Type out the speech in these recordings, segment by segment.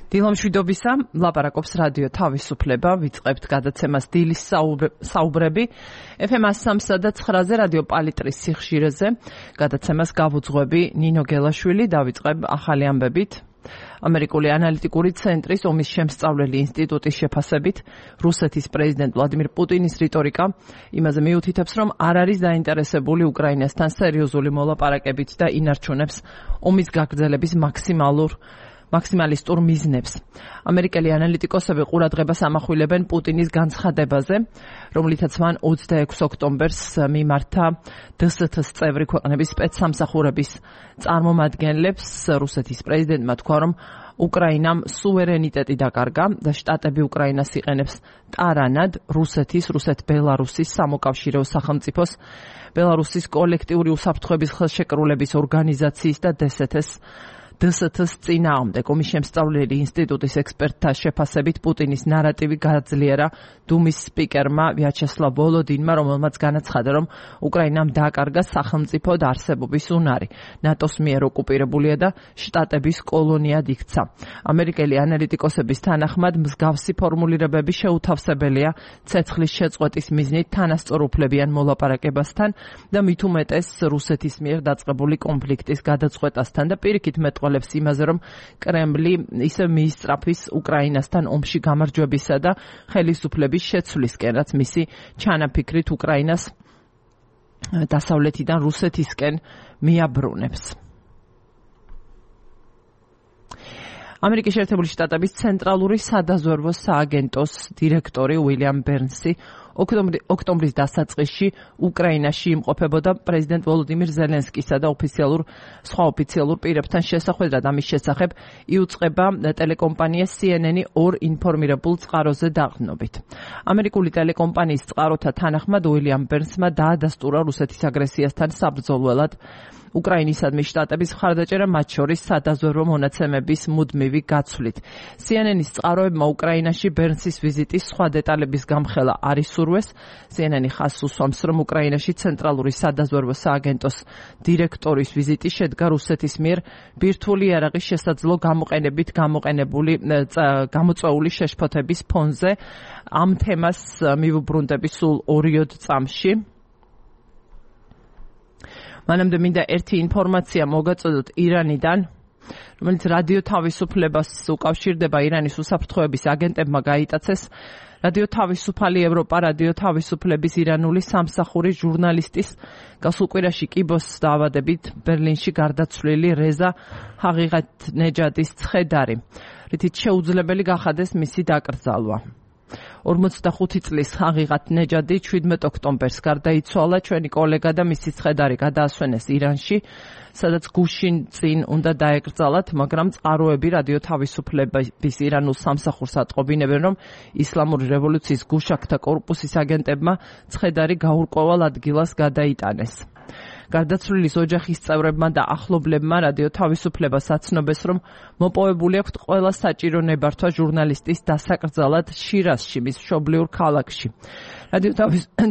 დილამშვიდობისა, ლაპარაკობს რადიო თავისუფლება, ვიწყებთ გადაცემას დილის საუბრები. FM 103 და 9-ზე რადიო პალიტრის სიხშირეზე. გადაცემას გავუძღვები ნინო გელაშვილი, დავიწყებ ახალი ამბებით. ამერიკული ანალიტიკური ცენტრის ომის შემსწავლელი ინსტიტუტის შეფასებით, რუსეთის პრეზიდენტ ვლადიმირ პუტინის რიტორიკა იმაზე მიუთითებს, რომ არ არის დაინტერესებული უკრაინასთან სერიოზული მოლაპარაკებით და ინარჩუნებს ომის გაგრძელების მაქსიმალისტურ მიზნებს. ამერიკელი ანალიტიკოსები ყურადღებას ამახვილებენ პუტინის განცხადებაზე, რომლითაც მან 26 ოქტომბერს მიმართა დსთ-ს წევრი ქვეყნების სპეცსამსახურების წარმომადგენლებს. რუსეთის პრეზიდენტმა თქვა, რომ უკრაინამ სუვერენიტეტი დაკარგა და შტატები უკრაინას იყენებს ტარანად რუსეთ-ბელარუსის სამოკავშირეო სახელმწიფოს, ბელარუსის კოლექტიური უსაფრთხოების ხელშეკრულების ორგანიზაციის და დსთ-ს წინააღმდეგ. ომის შემსწავლელი ინსტიტუტის ექსპერტთა შეფასებით პუტინის ნარატივი გააძლიერა დუმის სპიკერმა ვიაჩესლავ ვოლოდინმა, რომელმაც განაცხადა, რომ უკრაინამ დააკარგა სახელმწიფო არსებობის უნარი. ნატოს მიერ ოკუპირებულია და შტატების კოლონიად იქცა. ამერიკელი ანალიტიკოსების თანახმად მსგავსი ფორმულირებები შეუთავსებელია ცეცხლის შეწყვეტის მიზნით თანასწორუფლებიან მოლაპარაკებასთან და მით უმეტეს რუსეთის მიერ დაწყებული კონფლიქტის გადაწყვეტასთან და პირიქით მეტყველებს იმაზე, რომ კრემლი ისევ მიისწრაფვის უკრაინასთან ომში გამარჯვებისა და ხელისუფლების შეცვლისკენ, რაც მისი ჩანაფიქრით უკრაინას დასავლეთიდან რუსეთისკენ მიაბრუნებს. ამერიკის შეერთებული შტატების ცენტრალური სადაზვერვო სააგენტოს დირექტორი უილიამ ბერნსი ოქტომბრის დასაწყისში უკრაინაში იმყოფებოდა პრეზიდენტ ვოლოდიმირ ზელენსკისა და სხვა ოფიციალურ პირებთან შესახვედრად. ამის შესახებ იუწყება ტელეკომპანია CNN-ი ორ ინფორმირებულ წყაროზე დაყრდნობით. ამერიკული ტელეკომპანიის წყაროთა თანახმად უილიამ ბერნსმა დაადასტურა რუსეთის აგრესიასთან საბრძოლველად უკრაინისადმი შტატების მხარდაჭერა, მათ შორის სადაზვერვო მონაცემების მუდმივი გაცვლით. CNN-ის წყაროებმა უკრაინაში ბერნსის ვიზიტის სხვა დეტალების გამხელა არ ისურვეს. CNN-ი ხაზს უსვამს, რომ უკრაინაში ცენტრალური სადაზვერვო სააგენტოს დირექტორის ვიზიტი შედგა რუსეთის მიერ ბირთვული იარაღის შესაძლო გამოყენებით გამოწვეული შეშფოთების ფონზე. ამ თემას მივუბრუნდები სულ 2 წამში. მანამდე მინდა ერთი ინფორმაცია მოგაწოდოთ ირანიდან, რომელიც რადიო თავისუფლებას უკავშირდება. ირანის უსაფრთხოების აგენტებმა გაიტაცეს რადიო თავისუფალი ევროპა, რადიო თავისუფლების ირანული სამსახურის ჟურნალისტის გასულ კვირაში კიბოს დაავადებით ბერლინში გარდაცვლილი რეზა ჰაღიღატნეჯადის ცხედარი, რითიც შეუძლებელი გახადეს მისი დაკრძალვა. 45 წლის ჰაღიღატნეჯადი 17 ოქტომბერს გარდაიცვალა. ჩვენი კოლეგა და მისი ცხედარი გადაასვენეს ირანში, სადაც გუშინ წინ უნდა დაეკრძალათ, მაგრამ წყაროები რადიო თავისუფლების ირანულ სამსახურს ატყობინებენ, რომ ისლამური რევოლუციის გუშაქთა კორპუსის აგენტებმა ცხედარი გაურკვევალ ადგილას გადაიტანეს. გარდაცვლილის ოჯახის წევრებმა და ახლობლებმა რადიო თავისუფლებას აცნობეს, რომ მოპოვებული აქვთ ყველა საჭირო ნებართვა ჟურნალისტის დასაკრძალად შირაზში, მის მშობლიურ ქალაქში. რადიო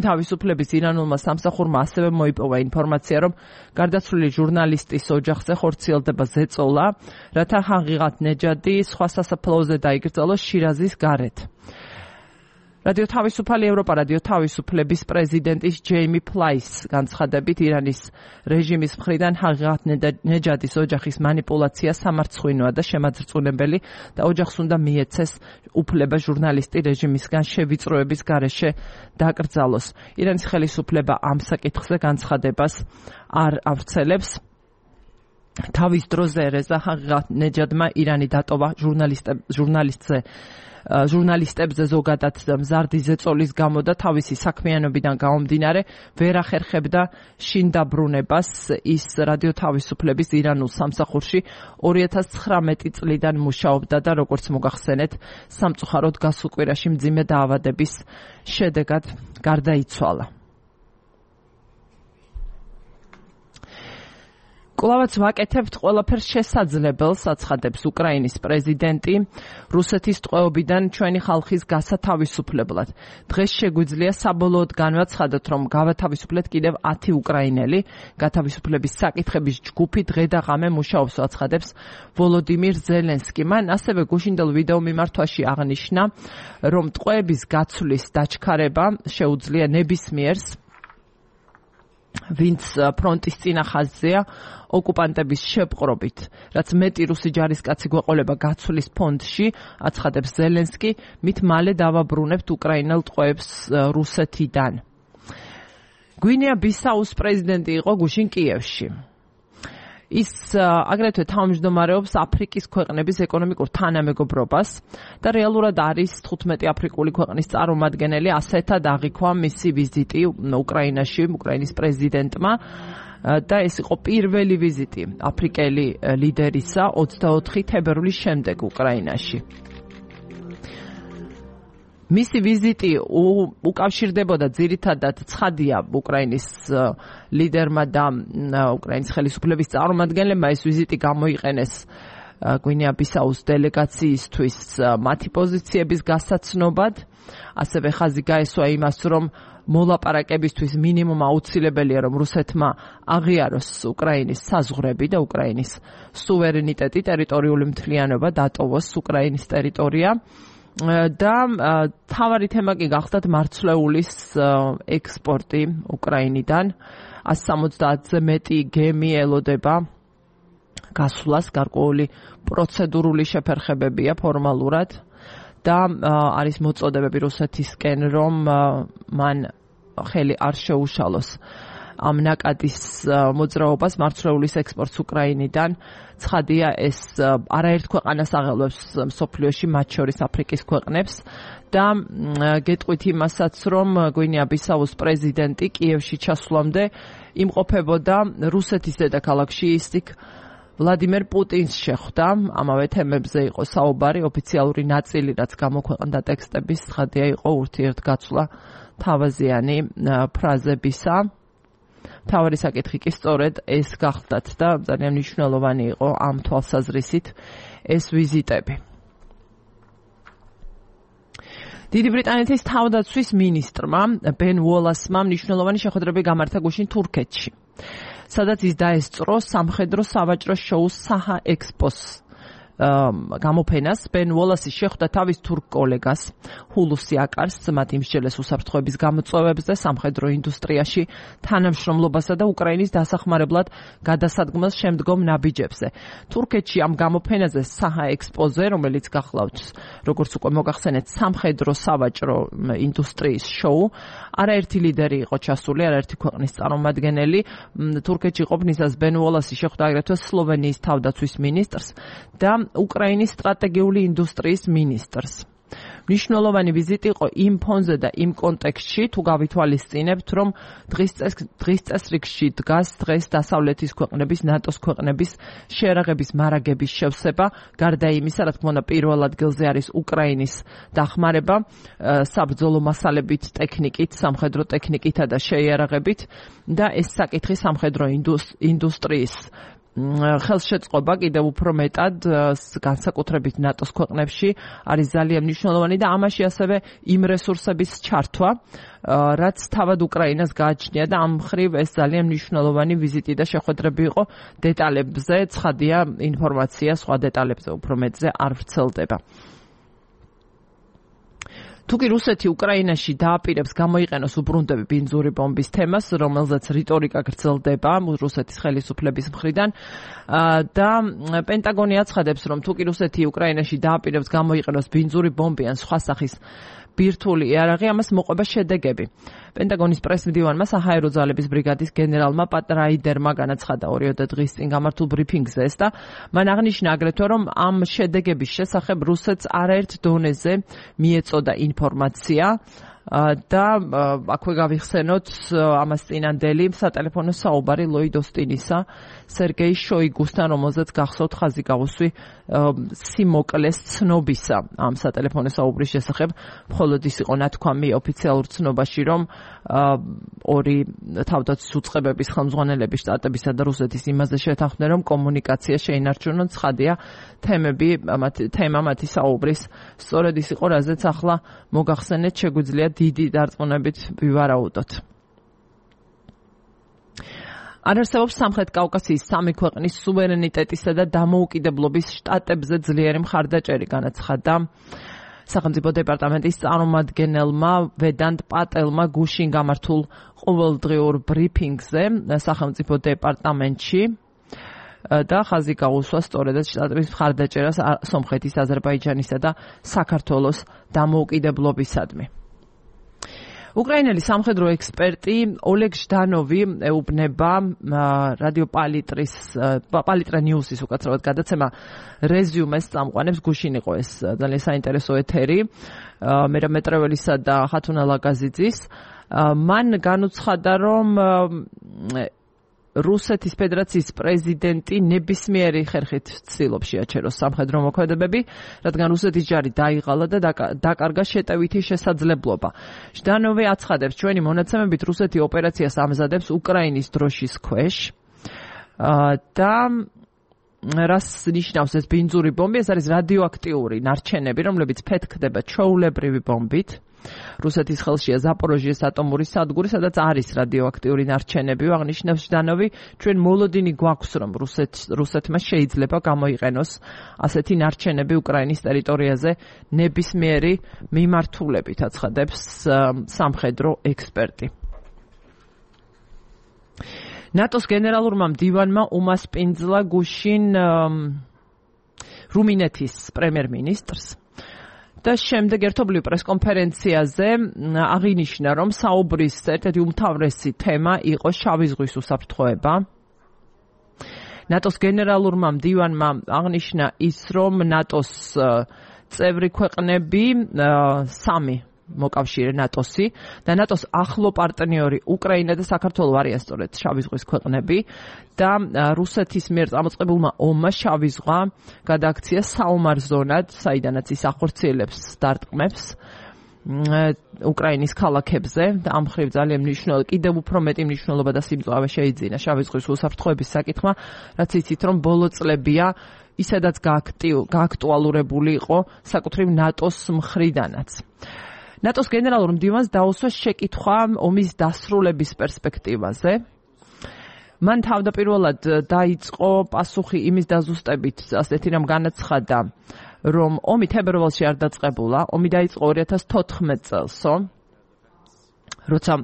თავისუფლების ირანულმა სამსახურმა ასევე მოიპოვა ინფორმაცია, რომ გარდაცვლილი ჟურნალისტის ოჯახზე ხორციელდება ზეწოლა, რათა ჰაღიღატნეჯადი სხვა სასაფლაოზე დაიკრძალოს შირაზის გარეთ. რადიო თავისუფალი ევროპა, რადიო თავისუფლების პრეზიდენტის ჯეიმი ფლაის განცხადებით, ირანის რეჟიმის მხრიდან ჰაღიღატნეჯადის ოჯახის მანიპულაცია სამარცხვინოა და შემაძრწუნებელი და ოჯახს უნდა მიეცეს უფლება ჟურნალისტი რეჟიმისგან შევიწროების გარეშე დაკრძალოს. ირანის ხელისუფლება ამ საკითხზე განცხადებას არ ავრცელებს. თავის დროზე რეზა ჰაღიღატნეჯადმა ირანი დატოვა ჟურნალისტებზე ზოგადად მზარდი ზეწოლის გამო და თავისი საქმიანობიდან გამომდინარე ვერ ახერხებდა შინდაბრუნებას. ის რადიო თავისუფლების ირანულ სამსახურში 2019 წლიდან მუშაობდა და როგორც მოგახსენეთ, სამწუხაროდ გასულ კვირაში მძიმე დაავადების შედეგად გარდაიცვალა. კვლავაც ვაკეთებთ ყველაფერს შესაძლებელს, აცხადებს უკრაინის პრეზიდენტი, რუსეთის ტყვეობიდან ჩვენი ხალხის გასათავისუფლებლად. დღეს შეგვიძლია საბოლოოდ განვაცხადოთ, რომ გავათავისუფლეთ კიდევ 10 უკრაინელი. გათავისუფლების საკითხების ჯგუფი დღე და ღამე მუშაობს, აცხადებს ვოლოდიმირ ზელენსკი. მან ასევე გუშინდელ ვიდეო მიმართვაში აღნიშნა, რომ ტყვეების გაცვლის დაჩქარება შეუძლია ნებისმიერს, ვინც ფრონტის წინა ხაზზეა ოკუპანტების შეპყრობით, რაც მეტი რუსი ჯარისკაცი გვეყოლება გაცვლის ფონდში, აცხადებს ზელენსკი, მით მალე დავაბრუნებთ უკრაინელ ტყვეებს რუსეთიდან. გვინეა-ბისაუს პრეზიდენტი იყო გუშინ კიევში. ის აგრეთვე თავმჯდომარეობს აფრიკის ქვეყნების ეკონომიკურ თანამეგობრობას და რეალურად არის 15 აფრიკული ქვეყნის წარმომადგენელი, ასეთად აღიქვა მისი ვიზიტი უკრაინაში უკრაინის პრეზიდენტმა და ეს იყო პირველი ვიზიტი აფრიკელი ლიდერისა 24 თებერვლის შემდეგ უკრაინაში. მისი ვიზიტი უკავშირდებოდა ძირითადად ცხადია უკრაინის ლიდერმა და უკრაინის ხელისუფლების წარმომადგენლებმა ეს ვიზიტი გამოიყენეს გვინეა-ბისაუს დელეგაციისთვის მათი პოზიციების გასაცნობად, ასევე ხაზი გაესვა იმას, რომ მოლაპარაკებისთვის მინიმუმ აუცილებელია, რომ რუსეთმა აღიაროს უკრაინის საზღვრები და უკრაინის სუვერენიტეტი, ტერიტორიული მთლიანობა, დატოვოს უკრაინის ტერიტორია. და თავარი თემა კი გახდათ მარცვლეულის ექსპორტი უკრაინიდან. 170-ზე მეტი გემი ელოდება გასვლას, გარკვეული პროცედურული შეფერხებებია ფორმალურად და არის მოწოდებები რუსეთისკენ, რომ მან ხელი არ შეუშალოს ამ ნაკადის მოძრაობას, მარცვლეულის ექსპორტს უკრაინიდან. ცხადია, ეს არაერთ ქვეყანას აღელვებს მსოფლიოში, მათ შორის აფრიკის ქვეყნებს და გეტყვით იმასაც, რომ გვინეა-ბისაუს პრეზიდენტი კიევში ჩასვლამდე იმყოფებოდა რუსეთის დედაქალაქში, ისიქ ვლადიმერ პუტინს შეხვდა. ამავე თემებზე იყო საუბარი, ოფიციალური ნაწილი, რაც გამოქვეყნდა ტექსტების, ცხადია იყო ურთიერთგაცვლა თავაზიანი ფრაზებისა. თავარი საკითხი კი სწორედ ეს გახდათ და ძალიან მნიშვნელოვანი იყო ამ თვალსაზრისით ეს ვიზიტები. დიდი ბრიტანეთის თავდაცვის მინისტრმა ბენ უოლასმა მნიშვნელოვანი შეხვედრები გამართა გუშინ თურქეთში, სადაც ის დაესწრო სამხედრო სავაჭრო შოუს საჰა ექსპოს გამოფენას. ბენ უოლასი შეხვდა თავის თურქ კოლეგას ჰულუსი აკარს, მათ იმსჯელეს უსაფრთხოების გამოწვევებზე, სამხედრო ინდუსტრიაში თანამშრომლობასა და უკრაინის დასახმარებლად გადასადგმელს შემდგომ ნაბიჯებზე. თურქეთში ამ გამოფენაზე საჰა ექსპოზე, რომელიც გახლავთ, როგორც უკვე მოგახსენეთ, სამხედრო სავაჭრო ინდუსტრიის შოუ, არაერთი ლიდერი იყო ჩასული, არაერთი ქვეყნის წარმომადგენელი. თურქეთში ყოფნისას ბენ უოლასი შეხვდა აგრეთვე სლოვენიის თავდაცვის მინისტრს და უკრაინის სტრატეგიული ინდუსტრიის მინისტრს. მნიშვნელოვანი ვიზიტი იყო იმ ფონზე და იმ კონტექსტში, თუ გავითვალისწინებთ, რომ დღის წესრიგში დგას დღეს დასავლეთის ქვეყნების, ნატოს ქვეყნების შეერაღების მარაგების შევსება, გარდა იმისა, რა თქმა უნდა, პირველ ადგილზე არის უკრაინის დახმარება საბრძოლო მასალებით, ტექნიკით, სამხედრო ტექნიკითა და შეიარაღებით და ეს საკითხი სამხედრო ინდუსტრიის ხელშეწყობა კიდევ უფრო მეტად განსაკუთრებით ნატოს ქვეყნებში არის ძალიან მნიშვნელოვანი და ამაში ასევე იმ რესურსების ჩართვა, რაც თავად უკრაინას გააჩნია და ამ მხრივ ეს ძალიან მნიშვნელოვანი ვიზიტი და შეხვედრები იყო. დეტალებზე ცხადია ინფორმაცია სხვა დეტალებზე უფრო მეტზე არ ვრცელდება. თუკი რუსეთი უკრაინაში დააპირებს გამოიყენოს უბრუნდები ბინძური ბომბის თემას, რომელზეც რიტორიკა გრძელდება რუსეთის ხელისუფლების მხრიდან და პენტაგონი აცხადებს, რომ თუკი რუსეთი უკრაინაში დააპირებს გამოიყენოს ბინძური ბომბი ან სხვა სახის ბირთვული იარაღი, ამას მოყვება შედეგები. პენტაგონის პრესმდივანმა საჰაერო ძალების ბრიგადის გენერალმა პატ რაიდერმა განაცხადა 2 დღის წინ გამართულ ბრიფინგზე ეს და მან აღნიშნა აგრეთვე, რომ ამ შედეგების შესახებ რუსეთს არაერთ დონეზე მიეწოდა ინფორმაცია და აქვე გავიხსენოთ ამას წინანდელი სატელეფონო საუბარი ლოიდ ოსტინისა სერგეი შოიგუსთან, რომელზეც გახსოვთ ხაზი გავუსვი სიმოკლეს ცნობისა ამ სატელეფონო საუბრის შესახებ. მხოლოდ ის იყო ნათქვამი ოფიციალურ ცნობაში, რომ ორი თავდაცვის უწყებების ხელმძღვანელები შტატებისა და რუსეთის იმაზე შეთანხმდნენ, რომ კომუნიკაცია შეინარჩუნონ. ცხადია, თემა მათი საუბრის სწორედ ის იყო, რაზეც ახლა მოგახსენეთ, შეგვიძლია დიდი დარწმუნებით ვივარაუდოთ. არ არსებობს სამხრეთ კავკასიის სამი ქვეყნის სუვერენიტეტისა და დამოუკიდებლობის შტატებზე ძლიერი მხარდაჭერი, განაცხადა სახელმწიფო დეპარტამენტის წარმომადგენელმა ვედანტ პატელმა გუშინ გამართულ ყოველდღიურ ბრიფინგზე სახელმწიფო დეპარტამენტში და ხაზი გაუსვა სწორედაც შტატების მხარდაჭერას სომხეთის, აზერბაიჯანისა და საქართველოს დამოუკიდებლობისადმი. უკრაინელი სამხედრო ექსპერტი ოლეგ ჟდანოვი ეუბნება რადიო პალიტრა ნიუსის უკაცრავად გადაცემა რეზიუმეს წამყვანებს. გუშინ იყო ეს ძალიან საინტერესო ეთერი მერამეტრეველისა და ხათუნა ლაგაზიძის. მან განუცხადა, რომ რუსეთის ფედერაციის პრეზიდენტი ნებისმიერი ხერხით ცდილობს შეაჩეროს სამხედრო მოქმედებები, რადგან რუსეთის ჯარი დაიღალა და დაკარგა შეტევითი შესაძლებლობა. ჟდანოვი აცხადებს, ჩვენი მონაცემებით რუსეთი ოპერაციას ამზადებს უკრაინის დროშის ქვეშ და რას ნიშნავს ეს ბინძური ბომბი? ეს არის რადიოაქტიური ნარჩენები, რომლებიც ფეთქდება ჩვეულებრივი ბომბით. რუსეთის ხელშია ზაპოროჟიეს ატომური სადგური, სადაც არის რადიოაქტიური ნარჩენები. აღნიშნავს ჟდანოვი, ჩვენ მოლოდინი გვაქვს, რომ რუსეთმა შეიძლება გამოიყენოს ასეთი ნარჩენები უკრაინის ტერიტორიაზე ნებისმიერი მიმართულებით, აცხადებს სამხედრო ექსპერტი. ნატოს გენერალურმა მდივანმა უმასპინძლა გუშინ რუმინეთის პრემიერ-მინისტრს და შემდეგ ერთობლივ პრესკონფერენციაზე აღინიშნა, რომ საუბრის ერთ-ერთი უმთავრესი თემა იყო შავი ზღვის უსაფრთხოება. ნატოს გენერალურმა მდივანმა აღნიშნა ის, რომ ნატოს წევრი ქვეყნები სამი მოკავშირე ნატოსი და ნატოს ახლო პარტნიორი უკრაინა და საქართველო არიან სწორედ შავი ზღვის ქვეყნები და რუსეთის მიერ წამოწყებულმა ომმა შავი ზღვა გადააქცია საომარ ზონად, საიდანაც ის ახორციელებს დარტყმებს უკრაინის ქალაქებზე და ამ მხრივ ძალიან მნიშვნელოვანი, კიდევ უფრო მეტი მნიშვნელობა და სიმწვავე შეიძინა შავი ზღვის უსაფრთხოების საკითხმა, რაც იცით, რომ ბოლო წლებია ისედაც გააქტუალურებული იყო საკუთრივ ნატოს მხრიდანაც. ნატოს გენერალურ მდივანს დაუსვა შეკითხვა ომის დასრულების პერსპექტივაზე. მან თავდაპირველად დაიწყო პასუხი იმის დაზუსტებით, ასეთი რამ განაცხადა, რომ ომი თებერვალში არ დაწყებულა, ომი დაიწყო 2014 წელსო, როცა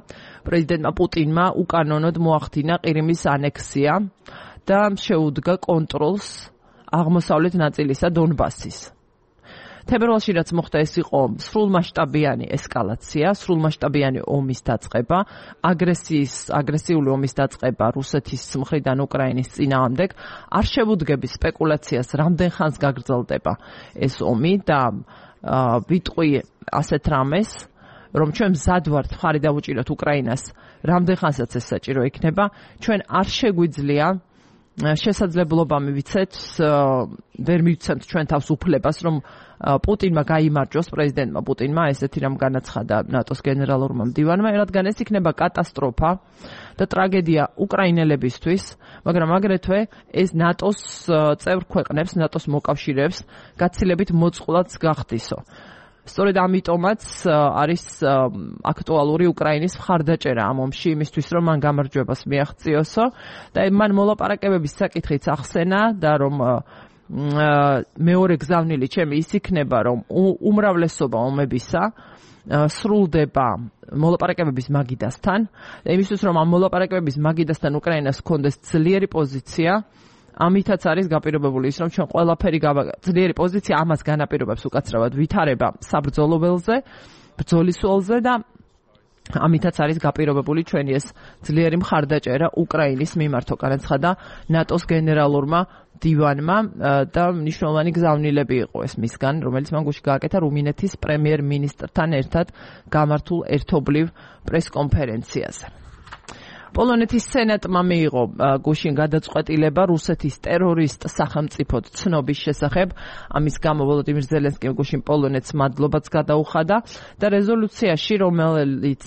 პრეზიდენტმა პუტინმა უკანონოდ მოახდინა ყირიმის ანექსია და შეუდგა კონტროლს აღმოსავლეთ ნაწილისა დონბასის. თებერვალში რაც მოხდა, ეს იყო სრულმასშტაბიანი ესკალაცია, სრულმასშტაბიანი ომის დაწყება, აგრესიული ომის დაწყება რუსეთის მხრიდან უკრაინის წინააღმდეგ. არ შევუდგები სპეკულაციას, რამდენ ხანს გაგრძელდება ეს ომი და ვიტყვი ასეთ რამეს, რომ ჩვენ მზად ვართ მხარი დავუჭიროთ უკრაინას, რამდენ ხანსაც ეს საჭირო იქნება, ჩვენ არ შეგვიძლია შესაძლებლობა მივიცეთ, ვერ მივცემთ ჩვენ თავს უფლებას, რომ პუტინმა გაიმარჯვოს, პრეზიდენტმა პუტინმა, ესეთი რამ განაცხადა ნატოს გენერალურმა მდივანმა, რადგან ეს იქნება კატასტროფა და ტრაგედია უკრაინელებისთვის, მაგრამ აგრეთვე ეს ნატოს წევრ ქვეყნებს, ნატოს მოკავშირეებს გაცილებით მოწყვლად გახდისო. სწორედ ამიტომაც არის აქტუალური უკრაინის მხარდაჭერა ამ ომში, იმისთვის რომ მან გამარჯვებას მიაღწიოსო და მან მოლაპარაკებების საკითხიც ახსენა და რომ მეორე გზავნილი ჩემი ის იქნება, რომ უმრავლესობა ომებისა სრულდება მოლაპარაკებების მაგიდასთან და იმისთვის რომ ამ მოლაპარაკებების მაგიდასთან უკრაინას ჰქონდეს ძლიერი პოზიცია, ამითაც არის გაპირობებული ის, რომ ჩვენ ყველაფერი ძლიერი პოზიცია ამას განაპირობებს უკაცრავად ვითარება საბრძოლო ველზე, ბრძოლის ველზე და ამითაც არის გაპირობებული ჩვენი ეს ძლიერი მხარდაჭერა უკრაინის მიმართ, განაცხადა ნატოს გენერალურმა დივანმა და მნიშვნელოვანი გზავნილები იყო ეს მისგან, რომელიც მან გუშინ გააკეთა რუმინეთის პრემიერ-მინისტრთან ერთად გამართულ ერთობლივ პრესკონფერენციაზე. პოლონეთის სენატმა მიიღო გუშინ გადაწყვეტილება რუსეთის ტერორისტ სახელმწიფოდ ცნობის შესახებ. ამის გამო ვოლოდიმირ ზელენსკიმ გუშინ პოლონეთს მადლობაც გადაუხადა და რეზოლუციაში, რომელიც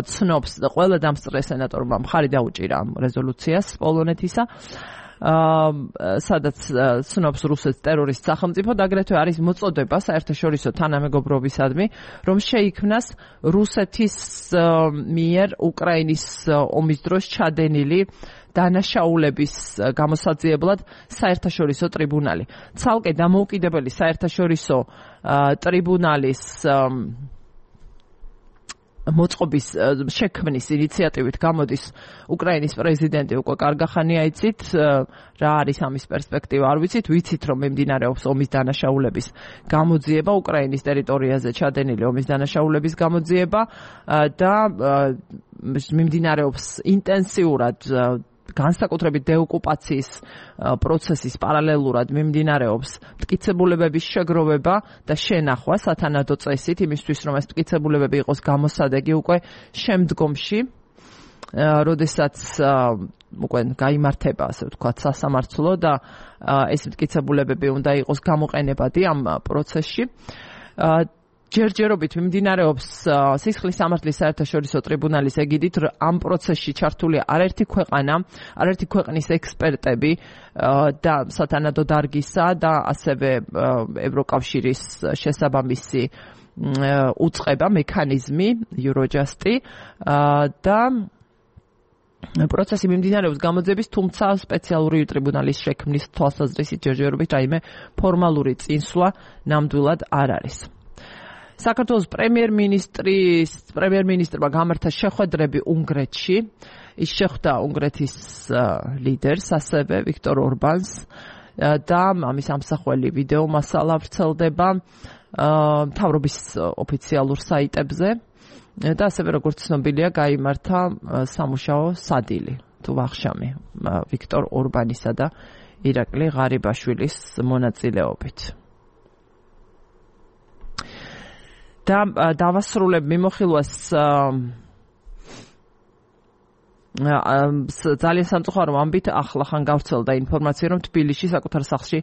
ცნობს ყველა დამსწრე სენატორმა მხარი დაუჭირა ამ რეზოლუციას პოლონეთისა, სადაც ცნობს რუსეთის ტერორისტ სახელმწიფოდ, აგრეთვე არის მოწოდება საერთაშორისო თანამეგობრობისადმი, რომ შეიქმნას რუსეთის მიერ უკრაინის ომის დროს ჩადენილი დანაშაულების გამოსაძიებლად საერთაშორისო ტრიბუნალი. ცალკე დამოუკიდებელი საერთაშორისო ტრიბუნალის მოწყობის შექმნის ინიციატივით გამოდის უკრაინის პრეზიდენტი უკვე კარგახანია იცით რა არის ამის პერსპექტივა არ ვიცით რომ მიმდინარეობს ომის დანაშაულების გამოძიება უკრაინის ტერიტორიაზე ჩადენილი ომის დანაშაულების გამოძიება და მიმდინარეობს ინტენსიურად განსაკუთრებით დეოკუპაციის პროცესის პარალელურად მიმდინარეობს მტკიცებულებების შეგროვება და შენახვა სათანადო წესით იმისთვის რომ ეს მტკიცებულებები იყოს გამოსადეგი უკვე შემდგომში როდესაც უკვე გაიმართება ასე ვთქვათ სასამართლო და ეს მტკიცებულებები უნდა იყოს გამოყენებადი ამ პროცესში ჯერჯერობით მიმდინარეობს სისხლის სამართლის საერთაშორისო ტრიბუნალის ეგიდით ამ პროცესში ჩართულია არაერთი ქვეყნის ექსპერტები და სათანადო დარგისა და ასევე ევროკავშირის შესაბამისი უწყება მექანიზმი Eurojust-ი და პროცესი მიმდინარეობს გამოძიების, თუმცა სპეციალური ტრიბუნალის შექმნის თვალსაზრისით ჯერჯერობით რაიმე ფორმალური წინსვლა ნამდვილად არ არის. საქართველოს პრემიერ-მინისტრმა გამართა შეხვედრები უნგრეთში. ის შეხვდა უნგრეთის ლიდერს, ასევე ვიქტორ ორბანს და ამის ამსახველი ვიდეო მასალა ვრცელდება მთავრობის ოფიციალურ საიტებზე და ასევე როგორც ცნობილია, გაიმართა სამუშაო სადილი თუ ვახშამი ვიქტორ ორბანისა და ირაკლი ღარიბაშვილის მონაწილეობით. და დავასრულებ მიმოხილვას ძალიან სამწუხარო ამბით ახლახან გავრცელდა ინფორმაცია რომ თბილისში საკუთარ სახლში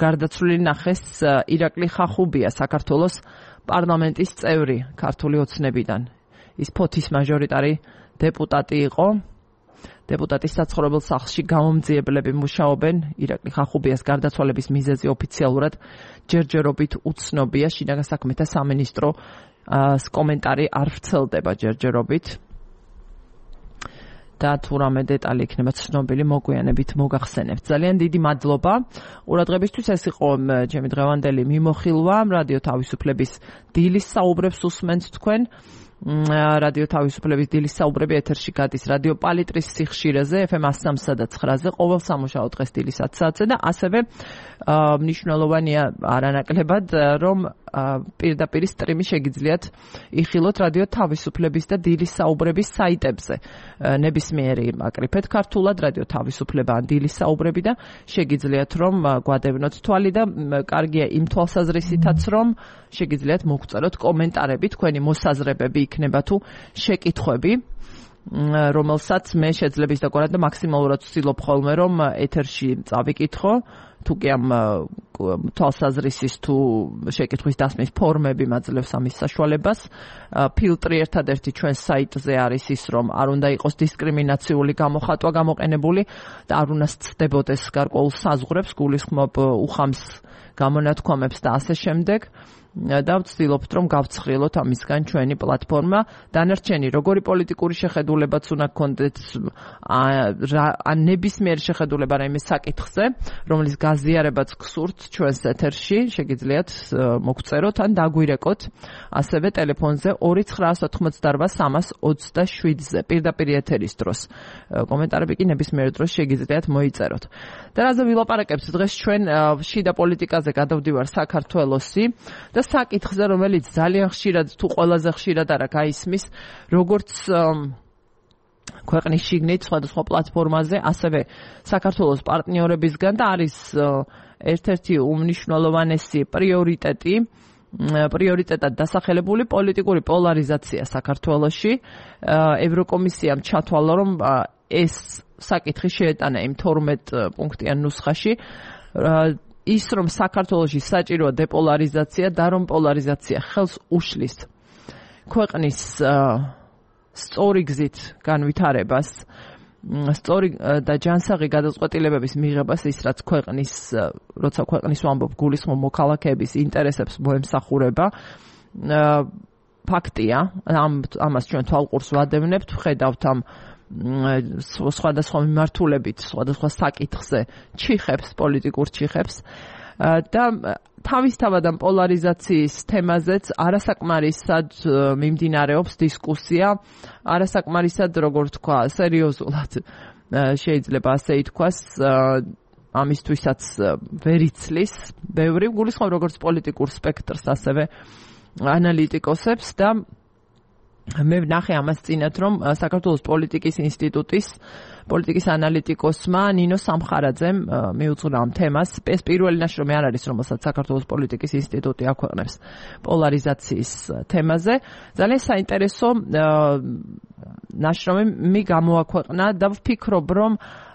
გარდაცვლილი ნახეს ირაკლი ხახუბია საქართველოს პარლამენტის წევრი ქართული ოცნებიდან ის ფოთის მაჟორიტარი დეპუტატი იყო დეპუტატის საცხოვრებელ სახლში გამომძიებლები მუშაობენ ირაკლი ხახუბიას გარდაცვალების მიზეზი ოფიციალურად ჯერჯერობით უცნობია შინაგან საქმეთა სამინისტროს კომენტარი არ ვრცელდება ჯერჯერობით და თუ რამე დეტალი იქნება ცნობილი მოგვიანებით მოგახსენებთ. ძალიან დიდი მადლობა ყურადღებისთვის. ეს იყო ჩემი დღევანდელი მიმოხილვა რადიო თავისუფლების დილის საუბრებს უსმენთ თქვენ. რადიო თავისუფლების დილის საუბრები ეთერში გადის რადიო პალიტრის სიხშირეზე FM 103 და 9-ზე ყოველ სამუშაო დღეს დილის 10 საათზე და ასევე მნიშვნელოვანია არანაკლებად რომ პირდაპირ სტრიმი შეგიძლიათ იხილოთ რადიო თავისუფლების და დილის საუბრების საიტებზე. ნებისმიერი აკრიფეთ ქართულად რადიო თავისუფლება ან დილის საუბრები და შეგიძლიათ რომ გვადევნოთ თვალი და კარგია იმ თვალსაზრისითაც რომ შეგიძლიათ მოგწეროთ კომენტარები თქვენი მოსაზრებები იქნება თუ შეკითხვები რომელსაც მე შეძლებს დაგვარად და მაქსიმალურად ვცდილობ ხოლმე რომ ეთერში წავიკითხო თუ კი ამ თვალსაზრისის თუ შეკითხვის დასმის ფორმები მაძლევს ამის საშუალებას ფილტრი ერთადერთი ჩვენ საიტზე არის ის რომ არ უნდა იყოს დისკრიმინაციული გამოხატვა გამოყენებული და არ უნდა სცდებოდეს გარკვეულ საზღვრებს გულისხმობ უხამს გამონათქვამებს და ასე შემდეგ და ვცდილობთ რომ გავცხრილოთ ამისგან ჩვენი პლატფორმა დანარჩენი როგორი პოლიტიკური შეხედულებაც უნდა გქონდეთ ან ნებისმიერი შეხედულება რაიმე საკითხზე რომლის გაზიარებაც გსურთ ჩვენს ეთერში შეგიძლიათ მოგწეროთ ან დაგვირეკოთ ასევე ტელეფონზე 2988327-ზე პირდაპირ ეთერის დროს კომენტარები კი ნებისმიერ დროს შეგიძლიათ მოიწეროთ და რაზე ვილაპარაკებთ დღეს ჩვენ შიდა პოლიტიკაზე გადავდივარ საქართველოსი და საკითხზე რომელიც ძალიან ხშირად თუ ყველაზე ხშირად არა გაისმის როგორც ქვეყნის შიგნით სხვადასხვა პლატფორმაზე, ასევე საქართველოს პარტნიორებისგან და არის ერთ-ერთი უმნიშვნელოვანესი პრიორიტეტად დასახელებული პოლიტიკური პოლარიზაცია საქართველოში. ევროკომისიამ ჩათვალა, რომ ეს საკითხი შეეტანა იმ 12 პუნქტიან ნუსხაში, ის რომ საქართველოში საჭიროა დეპოლარიზაცია და რომ პოლარიზაცია ხელს უშლის ქვეყნის სწორი გზით განვითარებას, სწორი და ჯანსაღი გადაწყვეტილებების მიღებას, ის რაც როცა ქვეყნის ვამბობ, გულისხმობ მოქალაქეების ინტერესებს მოემსახურება. ფაქტია, ამას ჩვენ თვალყურს ვადევნებთ, ვხედავთ ამ სხვადასხვა მიმართულებით, სხვადასხვა საკითხზე ჩიხებს, პოლიტიკურ ჩიხებს და თავისთავად ამ პოლარიზაციის თემაზეც არასაკმარისად მიმდინარეობს დისკუსია, არასაკმარისად, როგორ თქვა, სერიოზულად შეიძლება ასე ითქვას, ამისთვისაც ვერ იცლის ბევრი, გულისხმობ როგორც პოლიტიკურ სპექტრს, ასევე ანალიტიკოსებს და მე ვნახე ამას წინათ, რომ საქართველოს პოლიტიკის ინსტიტუტის პოლიტიკის ანალიტიკოსმა ნინო სამხარაძემ მიუძღვნა ამ თემას. ეს პირველი ნაშრომი არ არის, რომელსაც საქართველოს პოლიტიკის ინსტიტუტი აქვეყნებს პოლარიზაციის თემაზე. ძალიან საინტერესო ნაშრომი გამოაქვეყნა და ვფიქრობ, რომ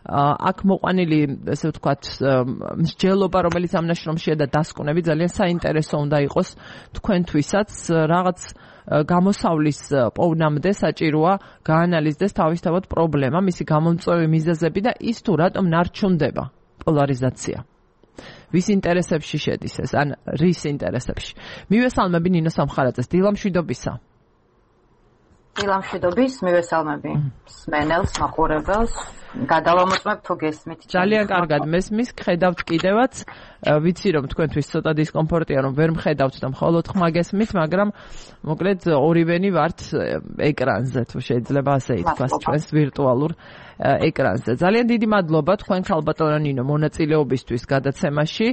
აქ მოყვანილი, ესე ვთქვათ, მსჯელობა, რომელიც ამ ნაშრომშია და დასკვნები ძალიან საინტერესო უნდა იყოს თქვენთვისაც, რაღაც გამოსავლის პოვნამდე საჭიროა გაანალიზდეს თავისთავად პრობლემა, მისი გამომწვევი მიზეზები და ის თუ რატომ ნარჩუნდება პოლარიზაცია. ვის ინტერესებში შედის ეს, ან რის ინტერესებში. მივესალმები ნინო სამხარაძეს, დილამშვიდობისა. დილამშვიდობის, მივესალმები სმენელს, მაყურებელს. გადავამოწმებ თუ გესმით. ძალიან კარგად მესმის, ხედავთ კიდევაც. ვიცი რომ თქვენთვის ცოტა დისკომფორტია, რომ ვერ მხედავთ და მხოლოდ ხმა გესმით, მაგრამ მოკლედ ორივენი ვართ ეკრანზე, თუ შეიძლება ასე ითქვას, ჩვენს ვირტუალურ ეკრანზე. ძალიან დიდი მადლობა თქვენ ქალბატონო ნინო მონაწილეობისთვის გადაცემაში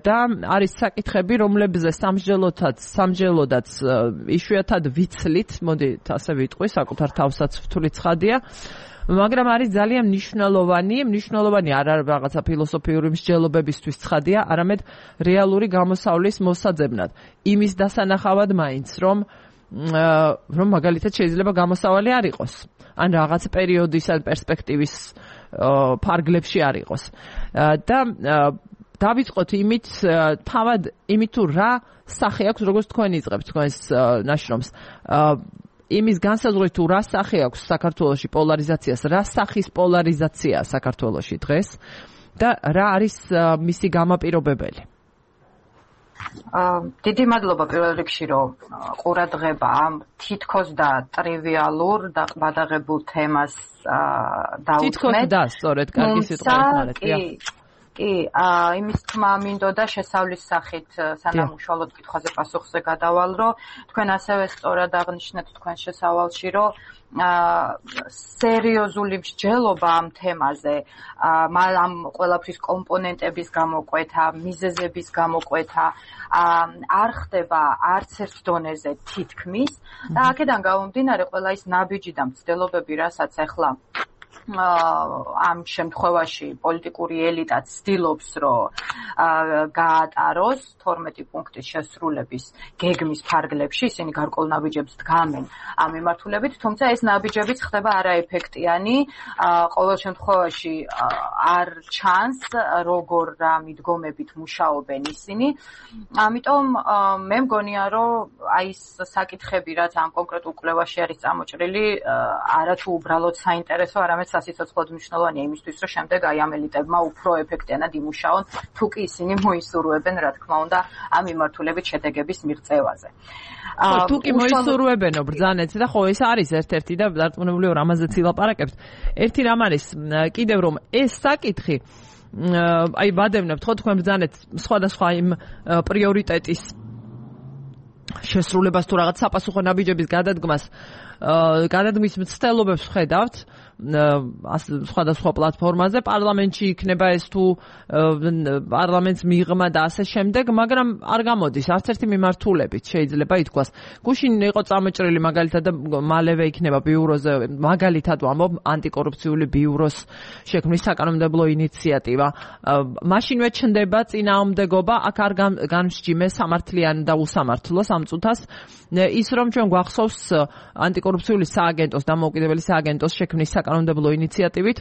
და არის საკითხები, რომლებზე სამჯელოდაც იშვიათად ვიცლით, მოდით ასე ვიტყვი, საკუთარ თავსაც ვთვლი ცხადია. მაგრამ არის ძალიან მნიშვნელოვანი არა რაღაცა ფილოსოფიური მსჯელობებისთვის ცხადია, არამედ რეალური გამოსავლის მოსაძებნად. იმის დასანახავად მაინც, რომ მაგალითად შეიძლება გამოსავალი არ იყოს, ან რაღაც პერიოდის ან პერსპექტივის ფარგლებში არ იყოს. და დავიწყოთ იმით თუ რა სახე აქვს, როგორც თქვენ იწყებთ თქვენს ნაშრომს. იმის განსაზღვრით თუ რა სახე აქვს საქართველოში პოლარიზაციას, რა სახის პოლარიზაცია საქართველოში დღეს და რა არის მისი გამაპირობებელი. დიდი მადლობა პირველ რიგში, რომ ყურადღება ამ თითქოს და ტრივიალურ და ყბადაღებულ თემას დაუთმეთ. თითქოს და სწორედ კარგი სიტყვა ეხმარებია. კი, იმის თქმა მინდოდა შესავლის სახით სანამ უშუალოდ კითხვაზე პასუხზე გადავალ, რომ თქვენ ასევე სწორად აღნიშნეთ თქვენ შესავალში, რომ სერიოზული მსჯელობა ამ თემაზე, ამ ყველაფრის კომპონენტების გამოკვეთა, მიზეზების გამოკვეთა არ ხდება არც ერთ დონეზე თითქმის და აქედან გამომდინარე ყველა ის ნაბიჯი და მცდელობები, რასაც ახლა ამ შემთხვევაში პოლიტიკური ელიტა ცდილობს, რომ გაატაროს 12 პუნქტის შესრულების გეგმის ფარგლებში, ისინი გარკვეულ ნაბიჯებს დგამენ ამ მიმართულებით, თუმცა ეს ნაბიჯებიც ხდება არაეფექტიანი, ყოველ შემთხვევაში არ ჩანს, როგორ რა მიდგომებით მუშაობენ ისინი. ამიტომ მე მგონია, რომ აი ეს საკითხები, რაც ამ კონკრეტულ კვლევაში არის წამოჭრილი, არათუ უბრალოდ საინტერესო, არამედ სასიცოცხლოდ მნიშვნელოვანია იმისთვის, რომ შემდეგ აი ამ ელიტებმა უფრო ეფექტიანად იმუშაონ, თუ კი ისინი მოისურვებენ, რა თქმა უნდა, ამ მიმართულებით შედეგების მიღწევაზე. თუ კი მოისურვებენო ბრძანეთ და ხო ეს არის ერთ-ერთი და დარწმუნებული ვარ ამაზეც ილაპარაკებთ. ერთი რამ არის კიდევ რომ ეს საკითხი აი ვადევნებთ ხო თქვენ ბრძანეთ სხვადასხვა იმ პრიორიტეტის შესრულებას თუ რაღაც საპასუხო ნაბიჯების გადადგმის მცდელობებს ვხედავთ, სხვადასხვა პლატფორმაზე, პარლამენტში იქნება ეს თუ პარლამენტს მიღმა და ასე შემდეგ, მაგრამ არ გამოდის არც ერთი მიმართულებით, შეიძლება ითქვას. გუშინ იყო წამოჭრილი მაგალითად და მალევე იქნება ბიუროზე, მაგალითად ვამბობ, ანტიკორუფციული ბიუროს შექმნის საკანონმდებლო ინიციატივა. მაშინვე ჩნდება წინააღმდეგობა, აქ არ განსჯიმე სამართლიანი და უსამართლო სამწუთას. ის რომ ჩვენ გვახსოვს ანტიკორუფციული სააგენტოს, დამოუკიდებელი სააგენტოს შექმნის საკანონმდებლო ინიციატივით,